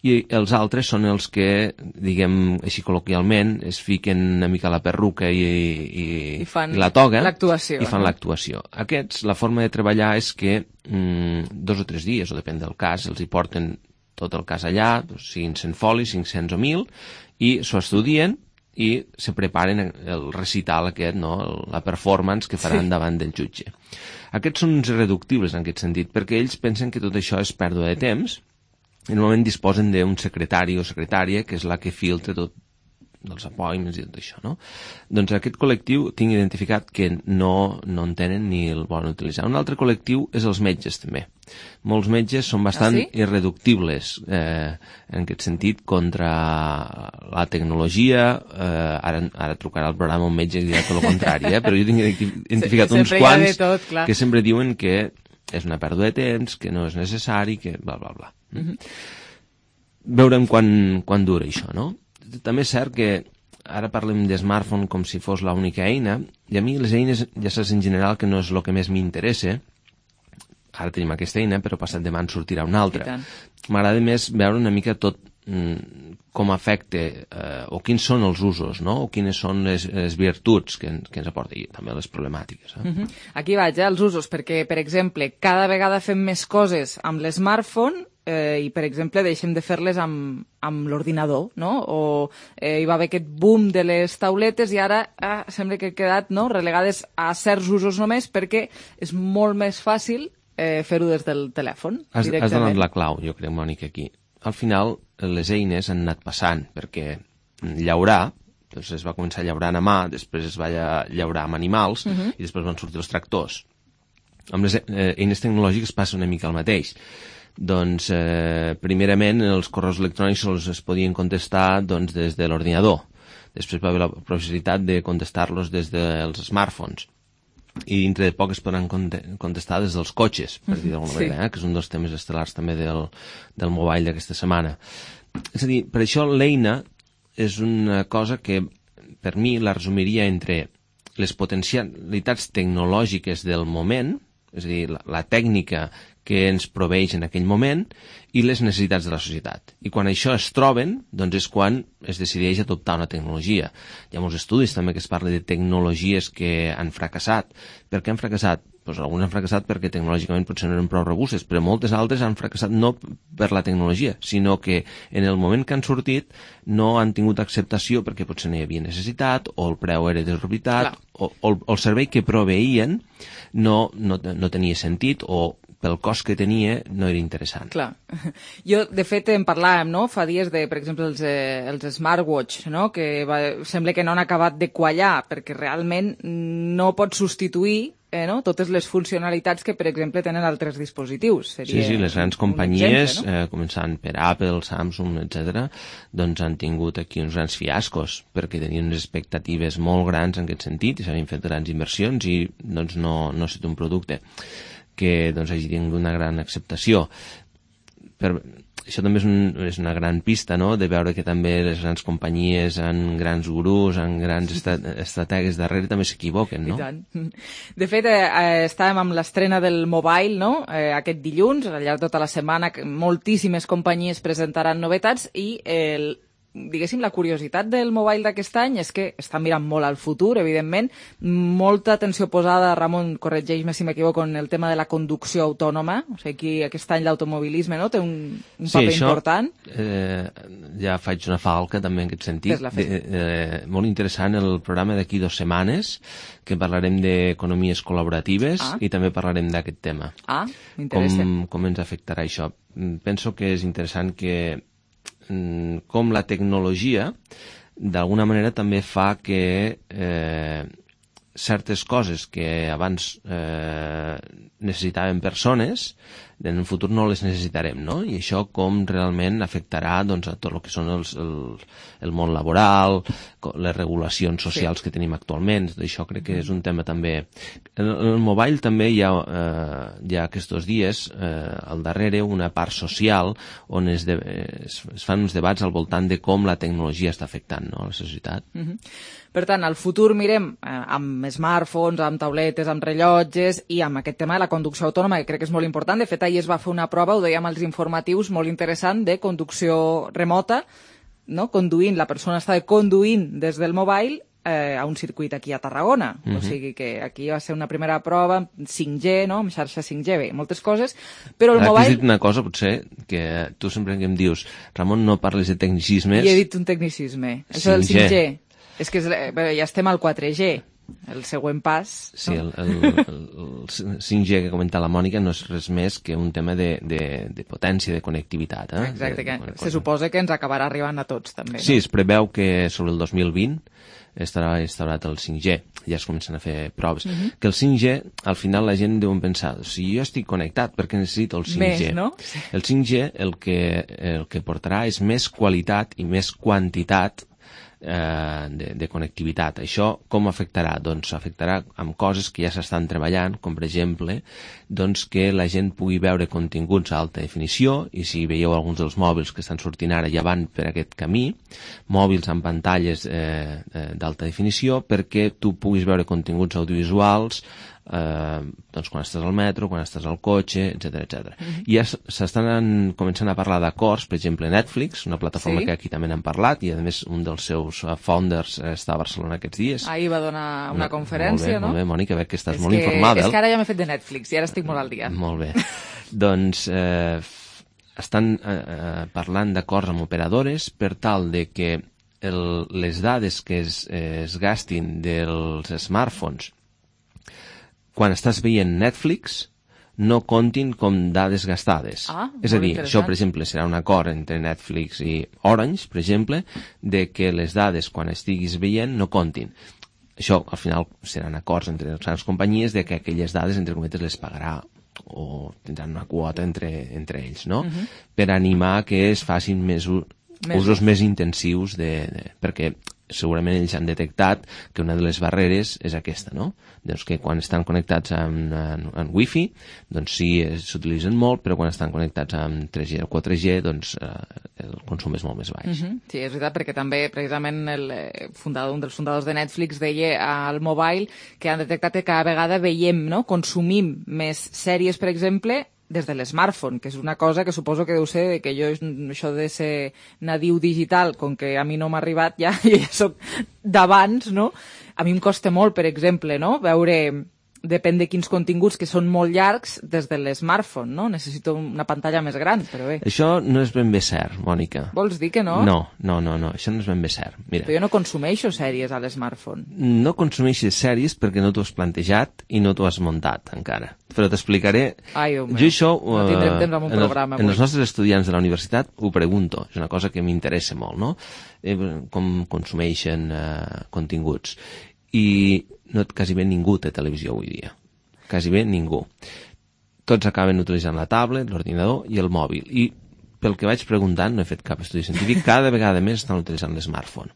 i els altres són els que, diguem així col·loquialment, es fiquen una mica la perruca i, i, I, fan i la toga l'actuació, i fan no? l'actuació. Aquests, la forma de treballar és que mm, dos o tres dies, o depèn del cas, els hi porten tot el cas allà, siguin cent folis, cinc-cents o mil, i s'ho estudien i se preparen el recital aquest, no? La performance que faran sí. davant del jutge. Aquests són uns irreductibles en aquest sentit, perquè ells pensen que tot això és pèrdua de temps i normalment disposen d'un secretari o secretària que és la que filtra tot dels appointments i tot això, no? Doncs aquest col·lectiu tinc identificat que no, no en tenen ni el volen utilitzar. Un altre col·lectiu és els metges, també. Molts metges són bastant ah, sí? irreductibles eh, en aquest sentit contra la tecnologia. Eh, ara, ara trucarà al programa un metge i dirà tot el contrari, eh? Però jo tinc identificat uns quants tot, que sempre diuen que és una pèrdua de temps, que no és necessari, que bla, bla, bla. Mm-hmm. Veurem quan, quan dura això, no? També és cert que ara parlem de smartphone com si fos l'única eina, i a mi les eines, ja saps en general que no és el que més m'interessa. Ara tenim aquesta eina, però passat demà en sortirà una altra. M'agrada més veure una mica tot mm, com afecta, eh, o quins són els usos, no? O quines són les, les virtuts que, que ens aporta, i també les problemàtiques. Eh? Uh-huh. Aquí vaig, eh, els usos, perquè, per exemple, cada vegada fem més coses amb l'smartphone eh, i, per exemple, deixem de fer-les amb, amb l'ordinador, no? O eh, hi va haver aquest boom de les tauletes i ara eh, sembla que han quedat, no?, relegades a certs usos només perquè és molt més fàcil eh, fer-ho des del telèfon. Has, has donat la clau, jo crec, Mònica, aquí. Al final, les eines han anat passant, perquè llaurar, doncs es va començar llaurant a mà, després es va llaurar amb animals, uh-huh. i després van sortir els tractors. Amb les eh, eines tecnològiques passa una mica el mateix. Doncs, eh, primerament, els correus electrònics els es podien contestar doncs, des de l'ordinador. Després va haver la possibilitat de contestar-los des dels smartphones. I dintre de poc es podran contestar des dels cotxes, per dir d'alguna sí. manera, eh? Que és un dels temes estel·lars també del, del mobile d'aquesta setmana. És a dir, per això l'eina és una cosa que per mi la resumiria entre les potencialitats tecnològiques del moment, és a dir, la, la tècnica que ens proveeix en aquell moment i les necessitats de la societat. I quan això es troben, doncs és quan es decideix adoptar una tecnologia. Hi ha molts estudis també que es parla de tecnologies que han fracassat. Per què han fracassat? Pues alguns han fracassat perquè tecnològicament potser no eren prou robustes, però moltes altres han fracassat no per la tecnologia, sinó que en el moment que han sortit no han tingut acceptació perquè potser no hi havia necessitat, o el preu era desorbitat, o, o, o el servei que proveïen no, no, no tenia sentit, o pel cost que tenia no era interessant. Clar. Jo, de fet, en parlàvem, no?, fa dies de, per exemple, els, eh, els smartwatch, no?, que va, sembla que no han acabat de quallar, perquè realment no pot substituir eh, no? totes les funcionalitats que, per exemple, tenen altres dispositius. Seria sí, sí, les grans companyies, exemple, no? eh, començant per Apple, Samsung, etcètera, doncs han tingut aquí uns grans fiascos, perquè tenien unes expectatives molt grans en aquest sentit, i s'havien fet grans inversions i doncs no, no ha estat un producte que doncs, hagi tingut una gran acceptació. Per, això també és, un, és una gran pista, no?, de veure que també les grans companyies amb grans gurús, amb grans estat, estrategues darrere també s'equivoquen, no? I tant. De fet, eh, estàvem amb l'estrena del Mobile, no?, eh, aquest dilluns, al llarg de tota la setmana, moltíssimes companyies presentaran novetats i el diguéssim, la curiositat del Mobile d'aquest any és que està mirant molt al futur, evidentment, molta atenció posada, Ramon, corregeix-me si m'equivoco, en el tema de la conducció autònoma, o sigui, aquí aquest any l'automobilisme, no?, té un, un sí, paper això, important. Eh, ja faig una falca també en aquest sentit. De, eh, molt interessant el programa d'aquí dues setmanes, que parlarem d'economies col·laboratives ah. i també parlarem d'aquest tema. Ah, m'interessa. Com, com ens afectarà això. Penso que és interessant que com la tecnologia d'alguna manera també fa que eh, certes coses que abans eh, necessitaven persones en el futur no les necessitarem, no? I això com realment afectarà doncs, a tot el que són els, el, el món laboral, les regulacions socials sí. que tenim actualment. Això crec que és un tema també. En el mobile també hi ha, eh, hi ha aquests dies eh, al darrere una part social on es, de, es, es fan uns debats al voltant de com la tecnologia està afectant, no, a la societat. Mm-hmm. Per tant, al futur mirem eh, amb smartphones, amb tauletes, amb rellotges i amb aquest tema de la conducció autònoma, que crec que és molt important. De fet, ahir es va fer una prova, ho dèiem als informatius, molt interessant, de conducció remota, no? Conduint, la persona estava conduint des del mobile eh, a un circuit aquí a Tarragona. Mm-hmm. O sigui que aquí va ser una primera prova amb cinc G, no? Amb xarxa cinc G, bé, moltes coses, però el Ara, mobile... Has dit una cosa, potser, que tu sempre que em dius, Ramon, no parles de tecnicismes... I he dit un tecnicisme. Això del cinc G. És que ja estem al quatre G, el següent pas... Sí, no? el, el, el cinc G que comenta la Mònica no és res més que un tema de, de, de potència, de connectivitat. Eh? Exacte, que de, de, se suposa que ens acabarà arribant a tots, també. Sí, no? es preveu que sobre el dos mil vint estarà instaurat el cinc G, ja es comencen a fer proves. Uh-huh. Que el cinc G, al final la gent deu pensar, si jo estic connectat, per què necessito el cinc G? Més, no? El cinc G el que, el que portarà és més qualitat i més quantitat De, de connectivitat. Això com afectarà? Doncs afectarà amb coses que ja s'estan treballant, com per exemple doncs que la gent pugui veure continguts a alta definició, i si veieu alguns dels mòbils que estan sortint ara ja van per aquest camí, mòbils amb pantalles eh, d'alta definició perquè tu puguis veure continguts audiovisuals eh, doncs quan estàs al metro, quan estàs al cotxe, etcètera, etcètera. Mm-hmm. I ja s'estan començant a parlar d'acords, per exemple Netflix, una plataforma sí. que aquí també n'hem parlat, i a més un dels seus founders està a Barcelona aquests dies. Ahir va donar una, una conferència, molt bé, no? Molt bé, Mònica, veig que estàs és molt que, informada. És que ara ja m'he fet de Netflix i ara estic molt al dia. Molt bé. Doncs eh, estan eh, parlant d'acords amb operadores per tal de que el, les dades que es, eh, es gastin dels smartphones quan estàs veient Netflix no comptin com dades gastades. Ah, és a dir, això, per exemple, serà un acord entre Netflix i Orange, per exemple, de que les dades quan estiguis veient no comptin. Això, al final, seran acords entre les grans companyies de que aquelles dades, entre cometes, les pagarà o tindran una quota entre, entre ells, no? Uh-huh. Per animar que es facin més, més usos més intensius de, de, perquè segurament ells han detectat que una de les barreres és aquesta, no? Doncs que quan estan connectats amb, amb, amb Wi-Fi, doncs sí, s'utilitzen molt, però quan estan connectats amb tres G o quatre G, doncs eh, el consum és molt més baix. Uh-huh. Sí, és veritat, perquè també, precisament, el fundador, un dels fundadors de Netflix deia al mobile que han detectat que cada vegada veiem, no?, consumim més sèries, per exemple, des de l'smartphone, que és una cosa que suposo que deu ser que jo, això de ser nadiu digital, com que a mi no m'ha arribat, ja, jo ja soc d'abans, no? A mi em costa molt, per exemple, no?, veure, depèn de quins continguts, que són molt llargs, des de l'smartphone, no? Necessito una pantalla més gran, però bé. Això no és ben bé cert, Mònica. Vols dir que no? No, no, no, no, això no és ben bé cert. Mira. Però jo no consumeixo sèries a l'smartphone. No consumeixes sèries perquè no t'ho has plantejat i no t'ho has muntat encara. Però t'explicaré... Ai, Déu meu. Jo això... No tindrem temps amb un en programa. El, en els nostres estudiants de la universitat ho pregunto. És una cosa que m'interessa molt, no? Eh, com consumeixen eh, continguts. I no, quasi bé ningú té televisió avui dia. Quasi bé ningú. Tots acaben utilitzant la tablet, l'ordinador i el mòbil. I pel que vaig preguntant, no he fet cap estudi científic, cada vegada més estan utilitzant l'smartphone.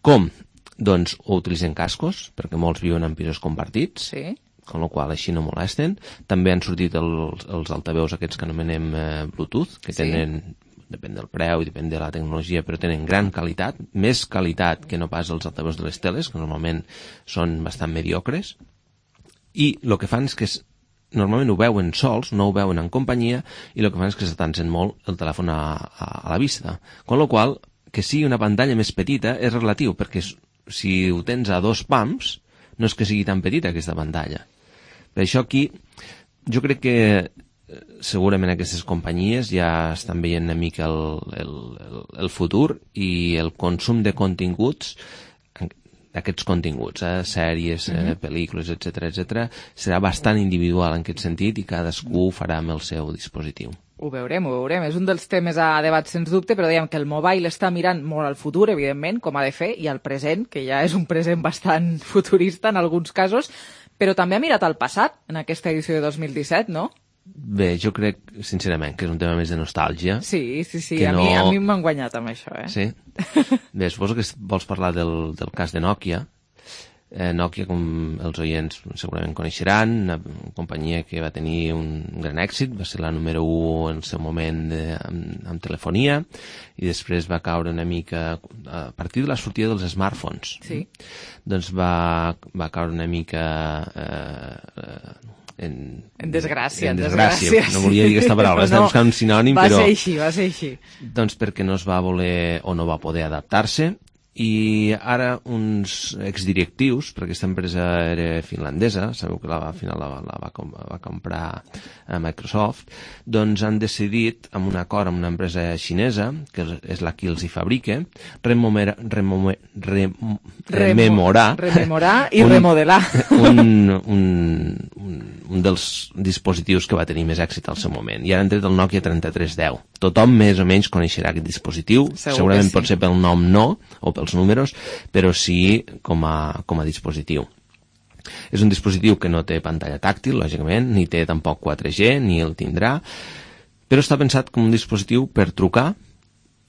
Com? Doncs o utilitzen cascos, perquè molts viuen en pisos compartits, sí. Con la qual així no molesten. També han sortit els, els altaveus aquests que anomenem eh, Bluetooth, que tenen... Sí. Depèn del preu i depèn de la tecnologia, però tenen gran qualitat, més qualitat que no pas els altaveus de les teles, que normalment són bastant mediocres, i el que fan és que normalment ho veuen sols, no ho veuen en companyia, i el que fan és que s'atancen molt el telèfon a, a, a la vista. Con la qual, que sigui una pantalla més petita és relatiu, perquè si ho tens a dos pams, no és que sigui tan petita aquesta pantalla. Per això aquí, jo crec que segurament aquestes companyies ja estan veient una mica el, el, el, el futur i el consum de continguts, d'aquests continguts, eh, sèries, eh, pel·lícules, etcètera, etcètera, serà bastant individual en aquest sentit i cadascú ho farà amb el seu dispositiu. Ho veurem, ho veurem. És un dels temes a debat, sens dubte, però dèiem que el mobile està mirant molt al futur, evidentment, com ha de fer, i al present, que ja és un present bastant futurista en alguns casos, però també ha mirat al passat, en aquesta edició de dos mil disset, no? Bé, jo crec, sincerament, que és un tema més de nostàlgia. Sí, sí, sí, a, no... mi, a mi m'han guanyat amb això, eh? Sí? Bé, suposo que vols parlar del, del cas de Nokia. Eh, Nokia, com els oients segurament coneixeran, una companyia que va tenir un gran èxit, va ser la número u en el seu moment de, amb, amb telefonia, i després va caure una mica a partir de la sortida dels smartphones. Sí. Doncs va, va caure una mica eh, en, en desgràcia. En desgràcia. No volia dir aquesta paraula, estava buscant un sinònim, va però... Va ser així, va ser així. Doncs perquè no es va voler o no va poder adaptar-se, i ara uns exdirectius, perquè aquesta empresa era finlandesa, sabeu que la, al final la, la, va, va comprar a Microsoft, doncs han decidit, amb un acord amb una empresa xinesa, que és la que els hi fabrica, remomer, remomer, rem, rememorar, rememorar i un, remodelar un, un, un, un dels dispositius que va tenir més èxit al seu moment. I ara han tret el Nokia trenta-tres deu. Tothom més o menys coneixerà aquest dispositiu, segur segurament sí. Pot ser pel nom no, o els números, però sí com a, com a dispositiu. És un dispositiu que no té pantalla tàctil, lògicament, ni té tampoc quatre G, ni el tindrà, però està pensat com un dispositiu per trucar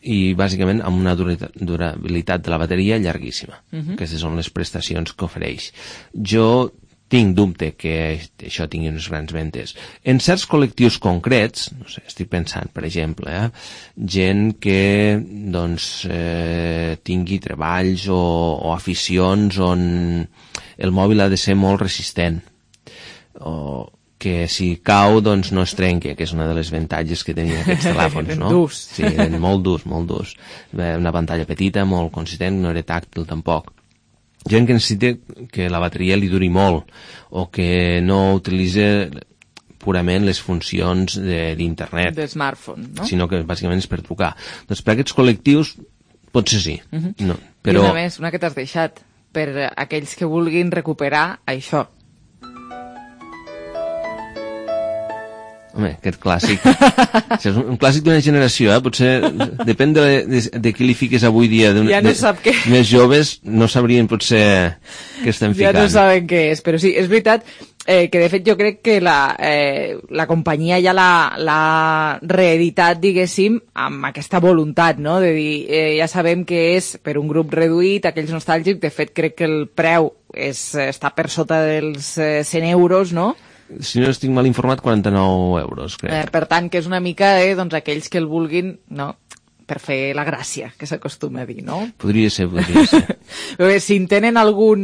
i bàsicament amb una durabilitat de la bateria llarguíssima. Uh-huh. Aquestes són les prestacions que ofereix. Jo tinc dubte que això tingui unes grans ventes. En certs col·lectius concrets, no sé, estic pensant, per exemple, eh, gent que doncs, eh, tingui treballs o, o aficions on el mòbil ha de ser molt resistent, o que si cau doncs no es trenqui, que és una de les avantatges que tenien aquests telèfons, no? Durs. Sí, eren molt durs, molt durs. Una pantalla petita, molt consistent, no era tàctil tampoc. Gent que necessita que la bateria li duri molt o que no utilitza purament les funcions d'internet. De smartphone, no? Sinó que bàsicament és per trucar. Doncs per aquests col·lectius potser sí. Uh-huh. No, però... I una més, una que t'has deixat, per aquells que vulguin recuperar això. Home, aquest clàssic. Això és un clàssic d'una generació, eh? Potser depèn de, de, de qui li fiques avui dia. Ja no sap què. Més joves no sabrien potser què estem ficant. Ja no saben què és, però sí, és veritat eh, que de fet jo crec que la, eh, la companyia ja l'ha reeditat, diguéssim, amb aquesta voluntat, no? De dir, eh, ja sabem que és per un grup reduït, aquells nostàlgics, de fet crec que el preu és, està per sota dels eh, cent euros, no? Si no estic mal informat, quaranta-nou euros, crec. Eh, per tant, que és una mica eh, doncs, aquells que el vulguin, no?, per fer la gràcia, que s'acostuma a dir, no? Podria ser, podria ser. Bé, si en tenen algun,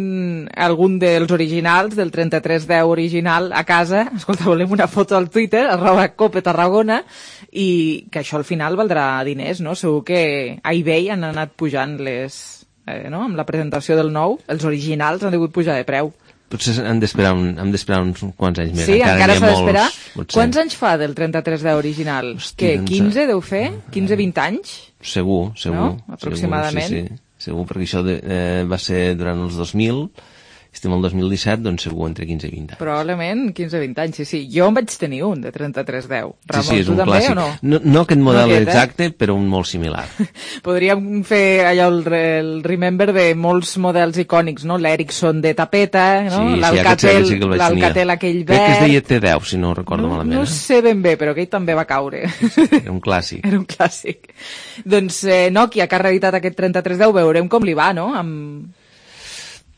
algun dels originals, del trenta-tres deu original, a casa, escolta, volem una foto al Twitter, arroba Cope Tarragona, i que això al final valdrà diners, no? Segur que a eBay han anat pujant les... Eh, no? Amb la presentació del nou, els originals han degut pujar de preu. Potser hem d'esperar un, hem d'esperar uns quants anys més. Sí, encara, encara s'ha d'esperar. Potser. Quants anys fa del trenta-tres deu original? Hosti, Què, doncs... quinze deu fer? quinze vint anys? Segur, segur. No? Aproximadament. Segur, sí, sí. Segur, perquè això de, eh, va ser durant els dos mil, estem al dos mil disset, doncs segur entre quinze i vint anys. Probablement quinze vint anys, sí, sí. Jo en vaig tenir un de trenta-tres deu. Ramon, sí, sí, és tu un també clàssic. O no? No, no aquest model no aquest, exacte, eh? però un molt similar. Podríem fer allò el, el remember de molts models icònics, no? L'Ericsson de tapeta, no? Sí, L'Alcatel, sí, sí l'Alcatel aquell verd. Crec que es deia T deu, si no recordo no, malament. No eh? sé ben bé, però aquell també va caure. Era un clàssic. Era un clàssic. Doncs eh, Nokia, que ha reeditat aquest trenta-tres deu, veurem com li va, no? Amb...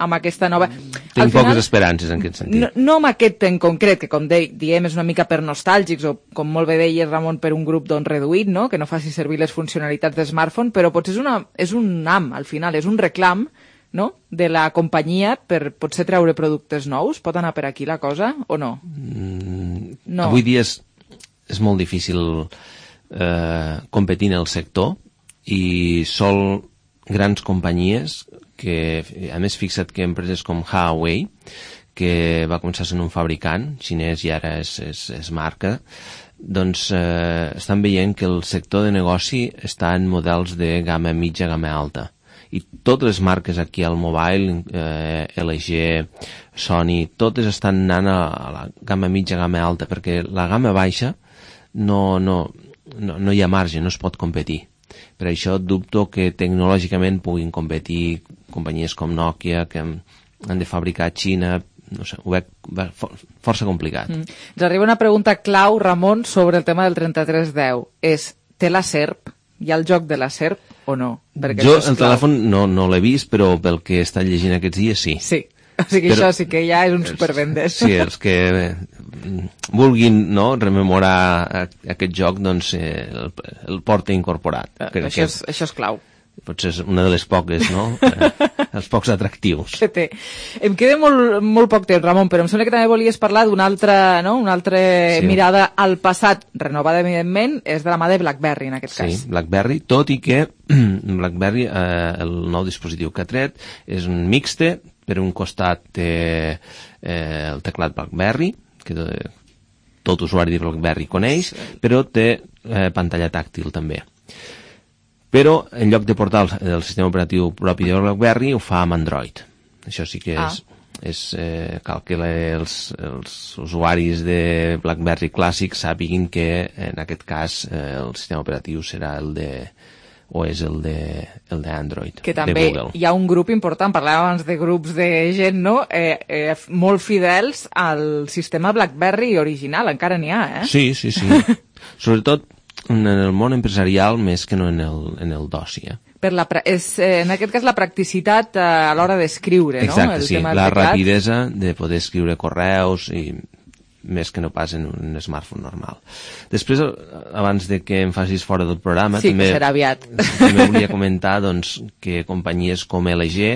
amb aquesta nova... Tinc Al final, poques esperances en aquest sentit. No, no amb aquest en concret, que com de, diem és una mica per nostàlgics, o com molt bé deies, Ramon, per un grup doncs, reduït, no? Que no faci servir les funcionalitats de smartphone, però potser és, una, és un am, al final, és un reclam, no?, de la companyia per potser treure productes nous. Pot anar per aquí la cosa, o no? Mm, no. Avui dia és, és molt difícil eh, competir en el sector, i sol grans companyies que, a més, fixa't que empreses com Huawei, que va començar sent un fabricant xinès i ara és, és, és marca, doncs eh, estan veient que el sector de negoci està en models de gamma mitja, gamma alta. I totes les marques aquí al mobile, eh, L G, Sony, totes estan anant a la gamma mitja, gamma alta, perquè la gamma baixa no, no, no, no hi ha marge, no es pot competir. Per això dubto que tecnològicament puguin competir companyies com Nokia, que han de fabricar a Xina, no sé, ho veig força complicat. Mm. Ens arriba una pregunta clau, Ramon, sobre el tema del trenta-tres deu. És, té la S E R P? Hi ha el joc de la S E R P o no? Perquè jo el telèfon no, no l'he vist, però pel que he estat llegint aquests dies, sí. Sí. O sigui, però, això sí que ja és un supervendes. Sí, els que vulguin, no, rememorar aquest joc, doncs eh, el, el porta incorporat. Crec això, és, això és clau. Potser és una de les poques, no? Eh, els pocs atractius. Que té. Em queda molt, molt poc temps, Ramon, però em sembla que també volies parlar d'una altra, no? Una altra sí. mirada al passat, renovada evidentment, és de la mà de BlackBerry en aquest sí, cas. Sí, BlackBerry, tot i que BlackBerry, eh, el nou dispositiu que ha tret, és un mixte. Per un costat té eh, el teclat BlackBerry, que tot usuari de BlackBerry coneix, sí. però té eh, pantalla tàctil també. Però en lloc de portar el, el sistema operatiu propi de BlackBerry ho fa amb Android. Això sí que és, ah. és eh, cal que els, els usuaris de BlackBerry clàssic sàpiguin que en aquest cas eh, el sistema operatiu serà el de o és el de el d'Android, que també de Google. Hi ha un grup important, parlàvem abans de grups de gent, no? Eh, eh, molt fidels al sistema BlackBerry original, encara n'hi ha, eh? Sí, sí, sí. Sobretot en el món empresarial més que no en el, en el d'oci, eh? Per la, és, eh, en aquest cas la practicitat eh, a l'hora d'escriure, no? Exacte, el sí, tema la teclat. rapidesa de poder escriure correus i més que no pas en un smartphone normal. Després, abans de que em facis fora del programa, sí, també, que serà aviat. també volia comentar doncs, que companyies com L G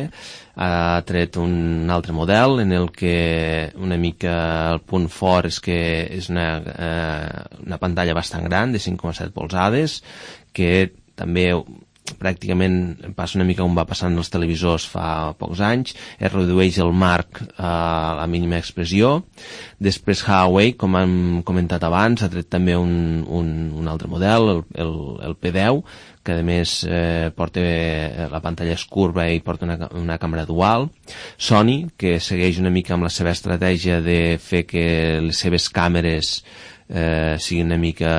ha tret un altre model en el que una mica el punt fort és que és una, eh, una pantalla bastant gran de cinc coma set polzades que també pràcticament passa una mica on va passant els televisors fa pocs anys, es redueix el marc a la mínima expressió. Després Huawei, com hem comentat abans, ha tret també un, un, un altre model, el, el, el P deu, que a més eh, porta, la pantalla és curva i porta una, una càmera dual. Sony, que segueix una mica amb la seva estratègia de fer que les seves càmeres eh, siguin una mica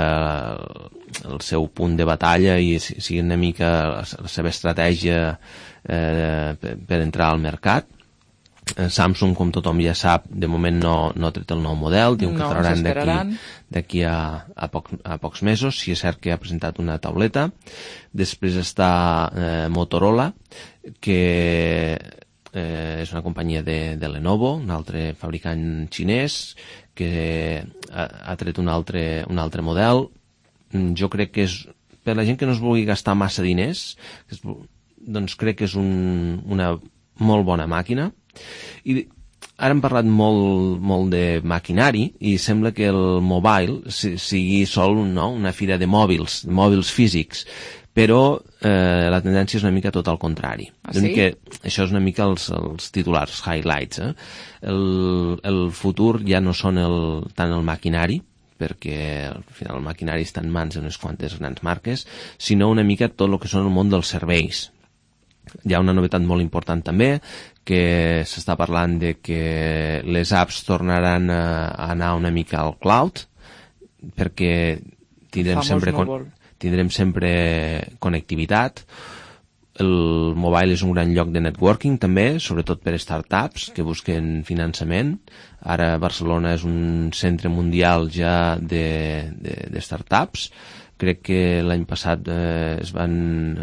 el seu punt de batalla i sigui una mica la, la seva estratègia eh, per, per entrar al mercat. Eh, Samsung, com tothom ja sap, de moment no, no ha tret el nou model, diuen no, que faran d'aquí d'aquí a, a, poc, a pocs mesos. Si és cert que ha presentat una tauleta. Després està eh, Motorola, que eh, és una companyia de, de Lenovo, un altre fabricant xinès, que ha, ha tret un altre, un altre model. Jo crec que és, per la gent que no es vulgui gastar massa diners, és, doncs crec que és un, una molt bona màquina. I ara hem parlat molt, molt de maquinari i sembla que el mobile sigui sol, no? Una fira de mòbils, de mòbils físics, però eh, la tendència és una mica tot al contrari. Ah, sí? Que això és una mica els, els titulars, highlights. Eh? El, el futur ja no són el, tant el maquinari, perquè al final el maquinari està en mans d'unes quantes grans marques, sinó una mica tot el que són el món dels serveis. Hi ha una novetat molt important també, que s'està parlant de que les apps tornaran a, a anar una mica al cloud, perquè tindrem sempre, con, tindrem sempre connectivitat. El mobile és un gran lloc de networking també, sobretot per startups que busquen finançament. Ara Barcelona és un centre mundial ja de, de, de startups. Crec que l'any passat eh, es van,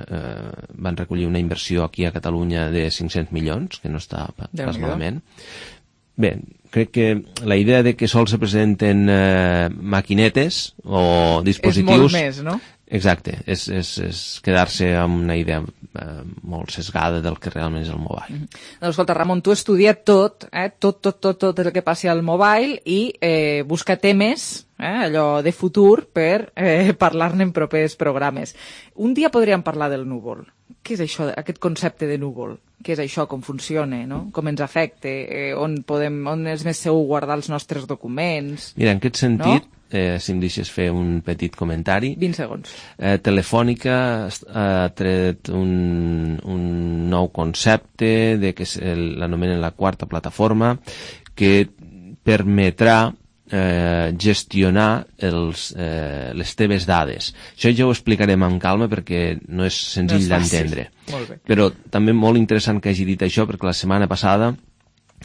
eh, van recollir una inversió aquí a Catalunya de cinc-cents milions, que no està pas malament. Bé, crec que la idea de que sols se presenten eh, maquinetes o dispositius... És molt més, no? Exacte, és, és, és quedar-se amb una idea eh, molt sesgada del que realment és el mobile. Mm-hmm. Doncs escolta, Ramon, tu has estudiat tot, eh, tot, tot, tot, tot el que passi al mobile i eh, busca temes, eh, allò de futur, per eh, parlar-ne en propers programes. Un dia podríem parlar del núvol. Què és això, aquest concepte de núvol? Què és això, com funciona, no? Com ens afecta, eh, on, podem, on és més segur guardar els nostres documents? Mira, en aquest sentit, no? Eh, si em deixes fer un petit comentari. vint segons. Eh, Telefònica ha tret un, un nou concepte de que l'anomenen la quarta plataforma, que permetrà eh, gestionar els, eh, les teves dades. Això ja ho explicarem amb calma perquè no és senzill no d'entendre. Però també molt interessant que hagi dit això, perquè la setmana passada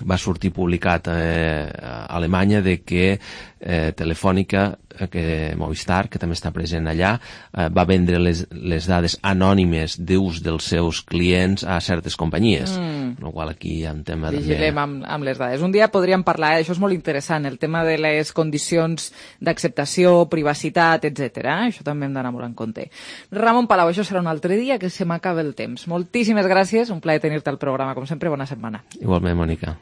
va sortir publicat eh, a Alemanya de que eh, Telefònica, eh, que Movistar, que també està present allà, eh, va vendre les, les dades anònimes d'ús dels seus clients a certes companyies. Mm. No, qual aquí hi ha un tema... Vigilem també... amb, amb les dades. Un dia podríem parlar, eh? Això és molt interessant, el tema de les condicions d'acceptació, privacitat, etcètera. Això també hem d'anar molt en compte. Ramon Palau, això serà un altre dia, que se m'acaba el temps. Moltíssimes gràcies, un plaer tenir-te al programa, com sempre, bona setmana. Igualment, Mònica.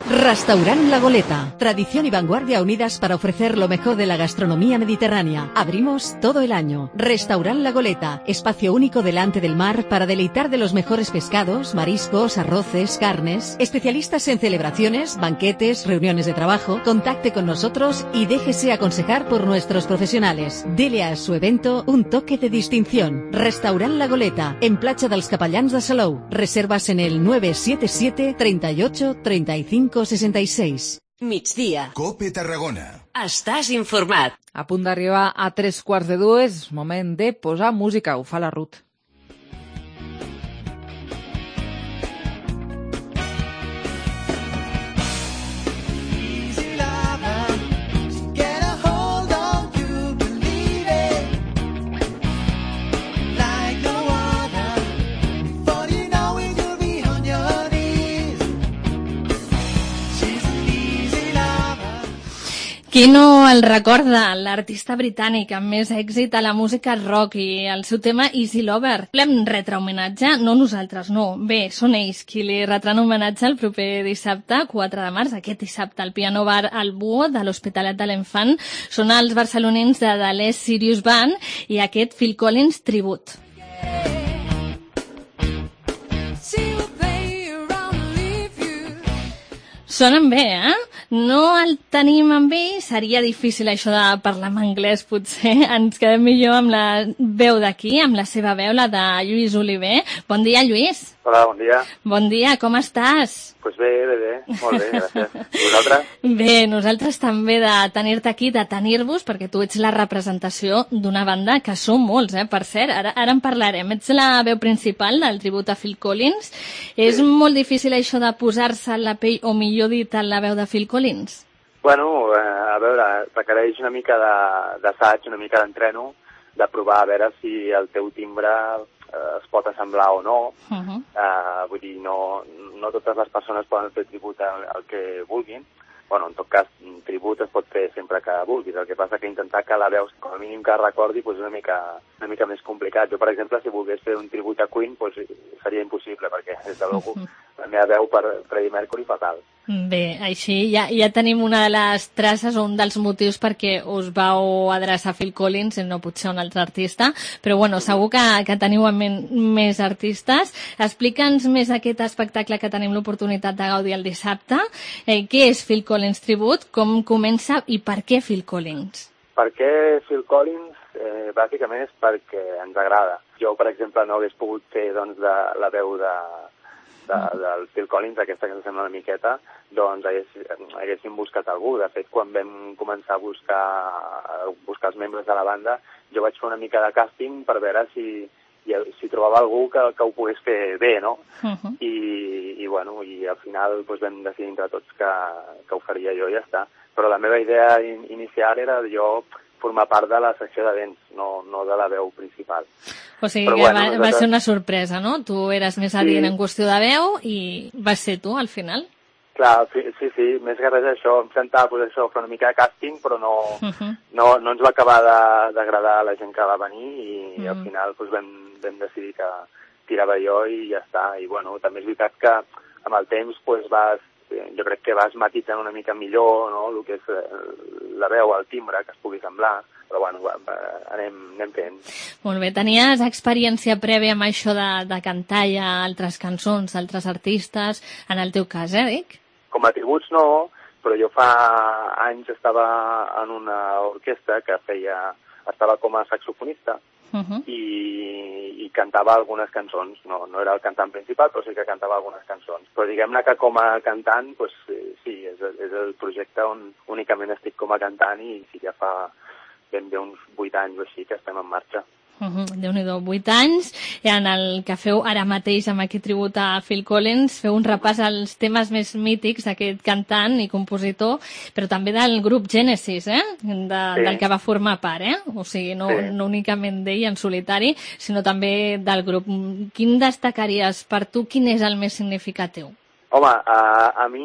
Restaurant La Goleta. Tradición y vanguardia unidas para ofrecer lo mejor de la gastronomía mediterránea. Abrimos todo el año. Restaurant La Goleta. Espacio único delante del mar para deleitar de los mejores pescados, mariscos, arroces, carnes. Especialistas en celebraciones, banquetes, reuniones de trabajo. Contacte con nosotros y déjese aconsejar por nuestros profesionales. Dele a su evento un toque de distinción. Restaurant La Goleta. En Platja dels Capellans de Salou. Reservas en el nueve siete siete, treinta y ocho, treinta y cinco, sesenta y seis. Migdia. Cope Tarragona. Estàs informat. A punt d'arribar a tres quarts de dues, moment de posar música. Ho fa la Ruth. Qui no el recorda? L'artista britànic amb més èxit a la música rock i el seu tema Easy Lover. L'hem retre homenatge? No nosaltres, no. Bé, són ells qui li retran homenatge el proper dissabte, quatre de març, aquest dissabte, al Piano Bar al Búho de l'Hospitalet de l'Infant. Són els barcelonins de The Les Sirius Band i aquest Phil Collins tribut. Sonen bé, eh? No el tenim amb ell, seria difícil això de parlar en anglès, potser. Ens quedem millor amb la veu d'aquí, amb la seva veu, la de Lluís Oliver. Bon dia, Lluís. Hola, bon dia. Bon dia, com estàs? Doncs pues bé, bé, bé, molt bé, gràcies. I vosaltres? Bé, nosaltres també de tenir-te aquí, de tenir-vos, perquè tu ets la representació d'una banda que som molts, eh? Per cert, ara, ara en parlarem. Ets la veu principal del tribut a Phil Collins. Sí. És molt difícil això de posar-se en la pell, o millor dit, en la veu de Phil Collins? Bueno, eh, a veure, requereix una mica d'assaig, una mica d'entreno, de provar a veure si el teu timbre eh, es pot assemblar o no. Uh-huh. eh, vull dir, no, no totes les persones poden fer tribut al, al que vulguin. Bueno, en tot cas, tribut es pot fer sempre que vulguis. El que passa que intentar que la veus, com a mínim que recordi, pues és una mica, una mica més complicat. Jo, per exemple, si volgués fer un tribut a Queen, pues seria impossible, perquè, des de luego, la meva veu per Freddie Mercury fatal. Bé, així ja, ja tenim una de les traces o un dels motius perquè us vau adreçar a Phil Collins i no potser un altre artista, però bueno, segur que, que teniu en ment més artistes. Explica'ns més aquest espectacle que tenim l'oportunitat de gaudir el dissabte. Eh, què és Phil Collins Tribute? Com comença i per què Phil Collins? Per què Phil Collins? Eh, bàsicament és perquè ens agrada. Jo, per exemple, no hagués pogut fer doncs, de, la veu de... De, del Phil Collins, aquesta que sembla una miqueta, doncs hagués, haguéssim buscat algú. De fet, quan vam començar a buscar, a buscar els membres de la banda, jo vaig fer una mica de càsting per veure si, si trobava algú que, que ho pogués fer bé, no? Uh-huh. I, i, bueno, i al final doncs, vam decidir entre tots que, que ho faria jo i ja està. Però la meva idea in, inicial era jo formar part de la secció de vents, no, no de la veu principal. O sigui Però, que bueno, va, nosaltres... va ser una sorpresa, no? Tu eres més adient sí. en qüestió de veu i vas ser tu, al final? Clar, sí, sí, sí. Més que res això, em sentava pues, això, fer una mica de càsting, però no, uh-huh. no, no ens va acabar d'agradar a la gent que va venir i, uh-huh. i al final pues, vam, vam decidir que tirava jo i ja està. I bueno, també és veritat que amb el temps pues, vas, jo crec que vas matitzant una mica millor, no?, el que és la veu, el timbre, que es pugui semblar, però bueno, anem, anem fent. Molt bé, tenies experiència prèvia amb això de, de cantar ja altres cançons d'altres artistes, en el teu cas, eh, Dic? Com a tributs no, però jo fa anys estava en una orquestra que feia, estava com a saxofonista, Uh-huh. I, i cantava algunes cançons. No, no era el cantant principal, però sí que cantava algunes cançons. Però diguem-ne que com a cantant, pues, sí, és, és el projecte on únicament estic com a cantant i sí, ja fa ben bé uns vuit anys o així que estem en marxa. Uh -huh. Déu-n'hi-do, vuit anys, en el que feu ara mateix amb aquest tribut a Phil Collins, feu un repàs als temes més mítics d'aquest cantant i compositor, però també del grup Genesis, eh? De, sí. Del que va formar part, eh? O sigui, no, sí. no únicament d'ell en solitari, sinó també del grup. Quin destacaries per tu, quin és el més significatiu? Home, a, a mi,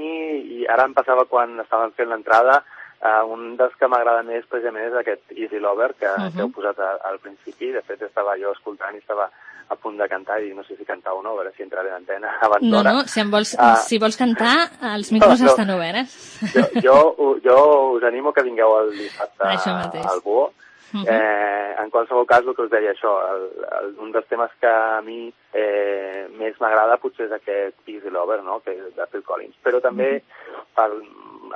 i ara em passava quan estàvem fent l'entrada, Uh, un dels que m'agrada més precisament és aquest Easy Lover que, uh-huh. que heu posat a, al principi. De fet, estava jo escoltant i estava a punt de cantar i no sé si cantar o no, a veure si entraré en antena abans no, d'hora. No, si, vols, uh, si vols cantar, els micros no, no. estan oberts. Jo, jo, jo us animo que vingueu el dissabte al Búho. Uh-huh. Eh, en qualsevol cas, el que us deia això, el, el, un dels temes que a mi eh, més m'agrada potser és aquest Easy Lover, no?, que és de Phil Collins. Però també uh-huh. el,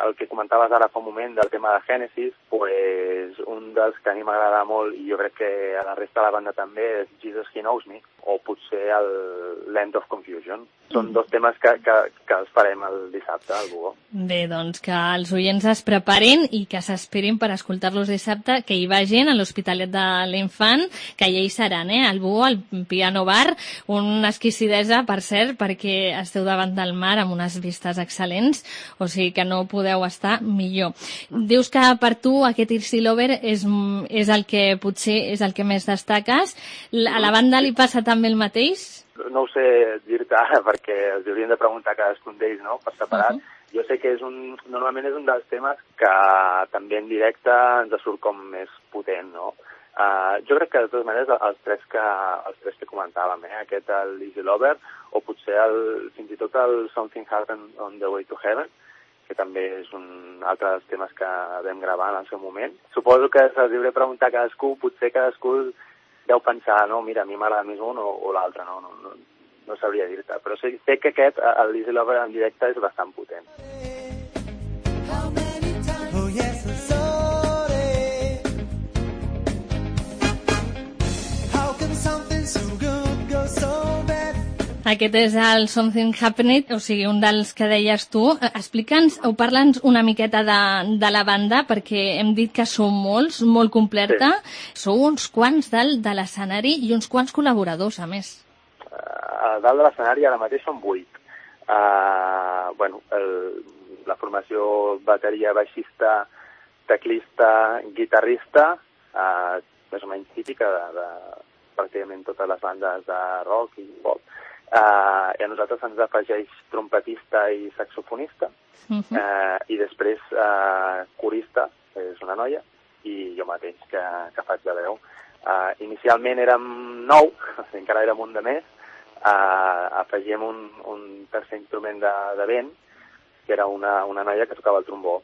el que comentaves ara fa un moment del tema de Genesis, pues, un dels que a mi m'agrada molt i jo crec que a la resta de la banda també és Jesus He Knows Me, o potser el Land of Confusion. Són dos temes que, que, que els farem el dissabte al Búho. Bé, doncs que els oients es preparin i que s'esperin per escoltar-los dissabte, que hi vagin a l'Hospitalet de l'Infant, que ja hi seran, eh? Al Búho, al Piano Bar, una exquisidesa, per cert, perquè esteu davant del mar amb unes vistes excel·lents, o sigui que no podeu estar millor. Dius que per tu aquest Easy Lover és, és el que potser és el que més destaques. A la banda li passa també el mateix? No ho sé dir-te ara perquè els haurien de preguntar a cadascun d'ells, no?, per separat. Uh -huh. Jo sé que és un, normalment és un dels temes que també en directe ens surt com més potent, no? Uh, jo crec que de totes maneres els tres que, els tres que comentàvem, eh? Aquest, el Easy Lover, o potser el, fins i tot el Something Happened on the Way to Heaven, que també és un altre dels temes que vam gravar en el seu moment. Suposo que se'ls hauré de preguntar a cadascú, potser cadascú deu pensar, no, mira, a mi m'agrada més un o, o l'altre, no, no, no, no sabria dir-te. Però sé, sé que aquest, el Easy Lover en directe, és bastant potent. Oh, yes, I'm sorry. How can something so good go so bad? Aquest és el Something Happened, o sigui, un dels que deies tu. Explica'ns o parla'ns una miqueta de, de la banda, perquè hem dit que sou molts, molt completa. Sí. Sou uns quants dalt de l'escenari i uns quants col·laboradors, a més. Uh, dalt de l'escenari ara mateix són vuit. Uh, bueno, el, la formació bateria, baixista, teclista, guitarrista, uh, més o menys típica de, de pràcticament totes les bandes de rock i pop. Uh, i a nosaltres ens afegeix trompetista i saxofonista, uh-huh. uh, i després uh, corista, que és una noia, i jo mateix, que, que faig de veu. Uh, inicialment érem nou, encara érem un de més, uh, afegíem un, un tercer instrument de, de vent, que era una, una noia que tocava el trombó.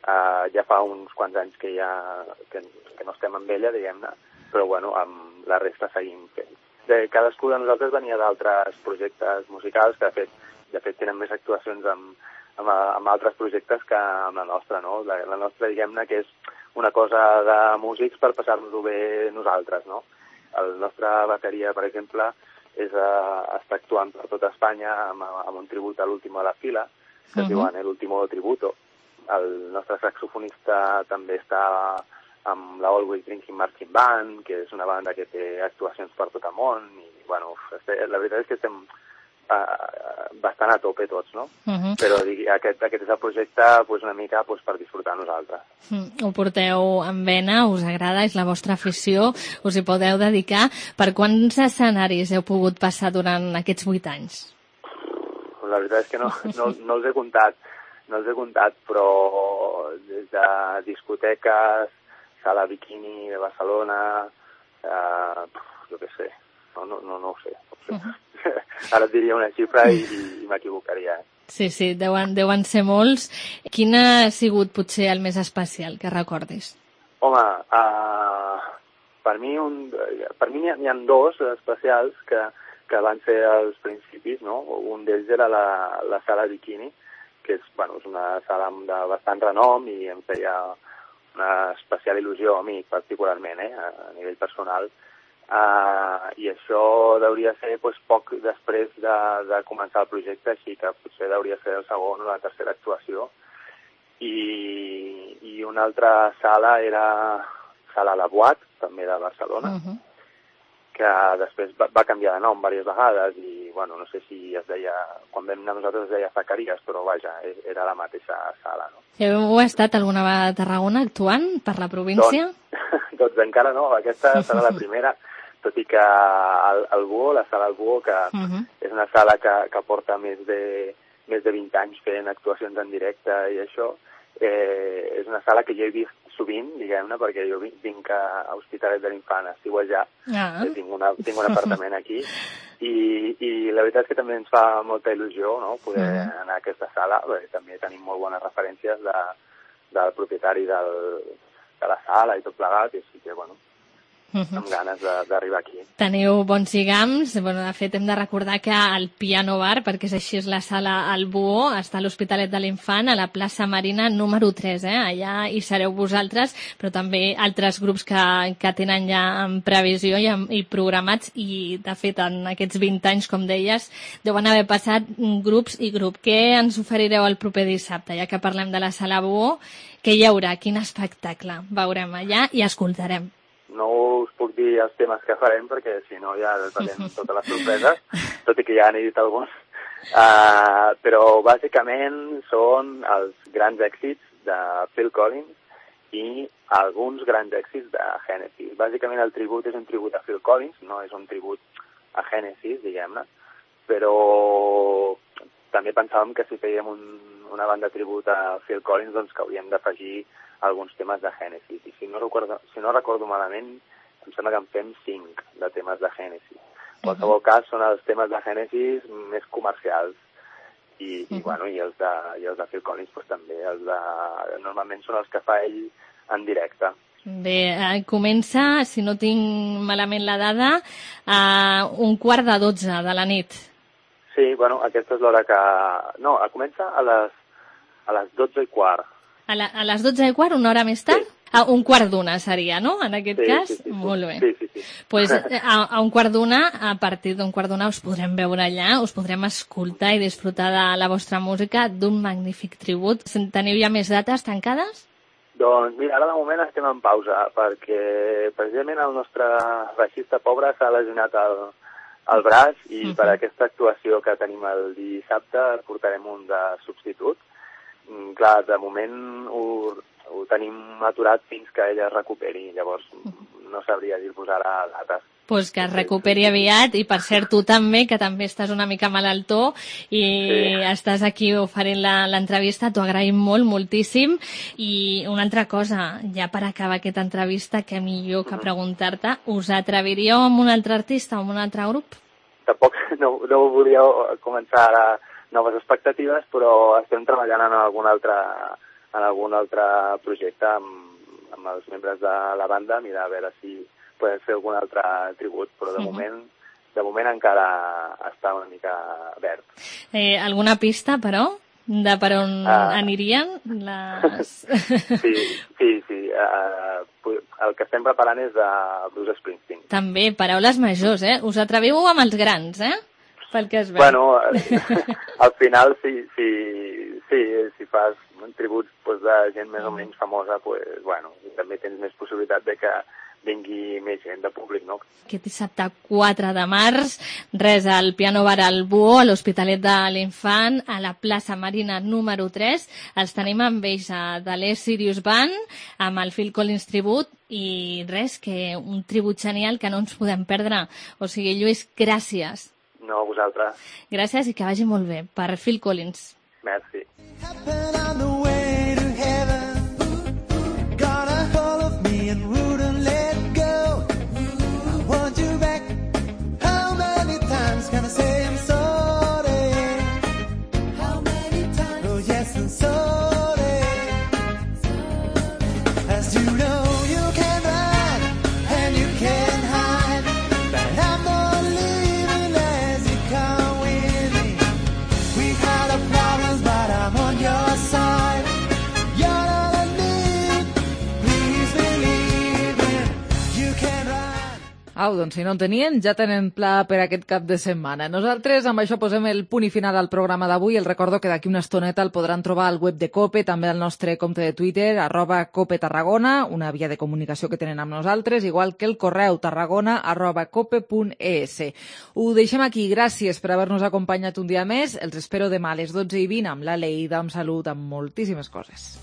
Uh, ja fa uns quants anys que, ja, que, que no estem amb ella, diguem-ne, però bueno, amb la resta seguim fent. De cadascú de nosaltres venia d'altres projectes musicals que de fet, de fet tenen més actuacions amb, amb, amb altres projectes que amb la nostra, no? La, la nostra, diguem-ne, que és una cosa de músics per passar-nos-ho bé nosaltres, no? El nostre bateria, per exemple, és, uh, està actuant per tota Espanya amb, amb un tribut a l'Último de la Fila, que uh-huh. es diuen l'Último Tributo. El nostre saxofonista també està amb la Always Drinking Marching Band, que és una banda que té actuacions per tot el món, i, bueno, la veritat és que estem uh, bastant a tope tots, no? Uh-huh. Però digui, aquest, aquest és el projecte pues, una mica pues, per disfrutar nosaltres. Mm, ho porteu en vena, us agrada, és la vostra afició, us hi podeu dedicar. Per quants escenaris heu pogut passar durant aquests vuit anys? La veritat és que no, no, no els he comptat, no els he comptat, però des de discoteques, Sala Bikini de Barcelona, eh, jo què sé, no, no, no, no ho sé. Uh-huh. Ara et diria una xifra i, i m'equivocaria. Eh? Sí, sí, deuen, deuen ser molts. Quin ha sigut potser el més especial que recordis? Home, uh, per mi, un, per mi n'hi ha, n'hi ha dos especials que, que van ser als principis, no? Un d'ells era la, la Sala Bikini, que és, bueno, és una sala de bastant renom i em feia una especial il·lusió a mi, particularment, eh, a nivell personal. Uh, I això hauria ser pues, poc després de, de començar el projecte, així que potser hauria ser el segon o la tercera actuació. I, i una altra sala era Sala La Boîte, també de Barcelona, uh-huh. que després va, va canviar de nom diverses vegades i, bueno, no sé si es deia, quan vam anar nosaltres es deia Zacarías, però vaja, era la mateixa sala, no? Heu estat alguna vegada a Tarragona actuant per la província? Doncs, doncs encara no, aquesta serà la primera, tot i que el, el Buo, la sala del Buo, que uh-huh. és una sala que, que porta més de, més de vint anys fent actuacions en directe i això, eh, és una sala que jo he vist sovint, diguem-ne, perquè jo vinc a Hospitalet de l'Infant a estiuejar, ah. tinc, una, tinc un apartament aquí, i, i la veritat és que també ens fa molta il·lusió, no?, poder uh-huh. anar a aquesta sala, perquè també tenim molt bones referències de, del propietari del, de la sala i tot plegat, i així que, bueno, amb ganes d'arribar aquí. Teniu bons lligams. Bueno, de fet, hem de recordar que el Piano Bar, perquè és així és la sala al Buo, està a l'Hospitalet de l'Infant, a la plaça Marina número tres. Eh? Allà hi sereu vosaltres, però també altres grups que, que tenen ja en previsió i, i programats, i de fet en aquests vint anys, com deies, deuen haver passat grups i grup. Què ens oferireu el proper dissabte? Ja que parlem de la sala Buo, què hi haurà? Quin espectacle veurem allà i escoltarem? No us puc dir els temes que farem, perquè si no ja farem totes les sorpreses, tot i que ja n'he dit alguns. Uh, però bàsicament són els grans èxits de Phil Collins i alguns grans èxits de Genesis. Bàsicament el tribut és un tribut a Phil Collins, no és un tribut a Genesis, diguem-ne, però també pensàvem que si fèiem un, una banda tribut a Phil Collins, doncs que hauríem d'afegir alguns temes de Genesis, i si no recordo, si no recordo malament, em sembla que en fem cinc de temes de Genesis. En qualsevol cas, són els temes de Genesis més comercials, i, i, bueno, i, els de, i els de Phil Collins pues, també. Els de, normalment són els que fa ell en directe. Bé, eh, comença, si no tinc malament la dada, a un quart de dotze de la nit. Sí, bueno, aquesta és l'hora que... No, comença a les, a les dotze i quart. A, la, a les dotze i quart, una hora més tard? Sí. A un quart d'una seria, no?, en aquest sí, cas? Sí, sí, Molt bé. Sí, sí, sí. Pues, a, a un quart d'una, a partir d'un quart d'una us podrem veure allà, us podrem escoltar i disfrutar de la vostra música, d'un magnífic tribut. Teniu ja més dates tancades? Doncs mira, ara de moment estem en pausa, perquè precisament el nostre baixista pobre s'ha lesionat el, el braç i uh-huh. per aquesta actuació que tenim el dissabte portarem un de substitut. Clar, de moment ho, ho tenim aturat fins que ella es recuperi, llavors no sabria dir-vos ara dates. Pues que es recuperi aviat, i per cert tu també, que també estàs una mica malaltó i sí. estàs aquí oferint l'entrevista, t'ho agraïm molt, moltíssim. I una altra cosa, ja per acabar aquesta entrevista, que millor que preguntar-te, us atreviríeu amb un altre artista o amb un altre grup? Tampoc no, no volia començar ara noves expectatives, però estem treballant en algun altre, en algun altre projecte amb, amb els membres de la banda, mirar a veure si podem fer algun altre tribut, però de, uh-huh. moment, de moment encara està una mica verd. Eh, alguna pista, però, de per on uh, anirien les... sí, sí, sí. Uh, el que estem preparant és de Bruce Springsteen. També, paraules majors, eh? Us atreviu amb els grans, eh? Pel que es veu. Bueno, al final, si, si, si, si fas tributs pues, de gent més o menys famosa, pues, bueno, també tens més possibilitat de que vingui més gent de públic, no? Aquest dissabte quatre de març, res, al Piano Bar al Buo, a l'Hospitalet de l'Infant, a la plaça Marina número tres. Els tenim amb ells de l'E Sirius Band, amb el Phil Collins tribut, i res, que un tribut genial que no ens podem perdre. O sigui, Lluís, gràcies. No, a vosaltres. Gràcies i que vagi molt bé. Per Phil Collins. Merci. Problems, but I'm on your side. Au, doncs si no en tenien, ja tenen pla per aquest cap de setmana. Nosaltres amb això posem el punt i final al programa d'avui. El recordo que d'aquí una estoneta el podran trobar al web de COPE, també al nostre compte de Twitter, arroba COPE Tarragona, una via de comunicació que tenen amb nosaltres, igual que el correu tarragona arroba cope punt es. Ho deixem aquí. Gràcies per haver-nos acompanyat un dia més. Els espero demà a les dotze i vint amb la Lleida, amb salut, amb moltíssimes coses.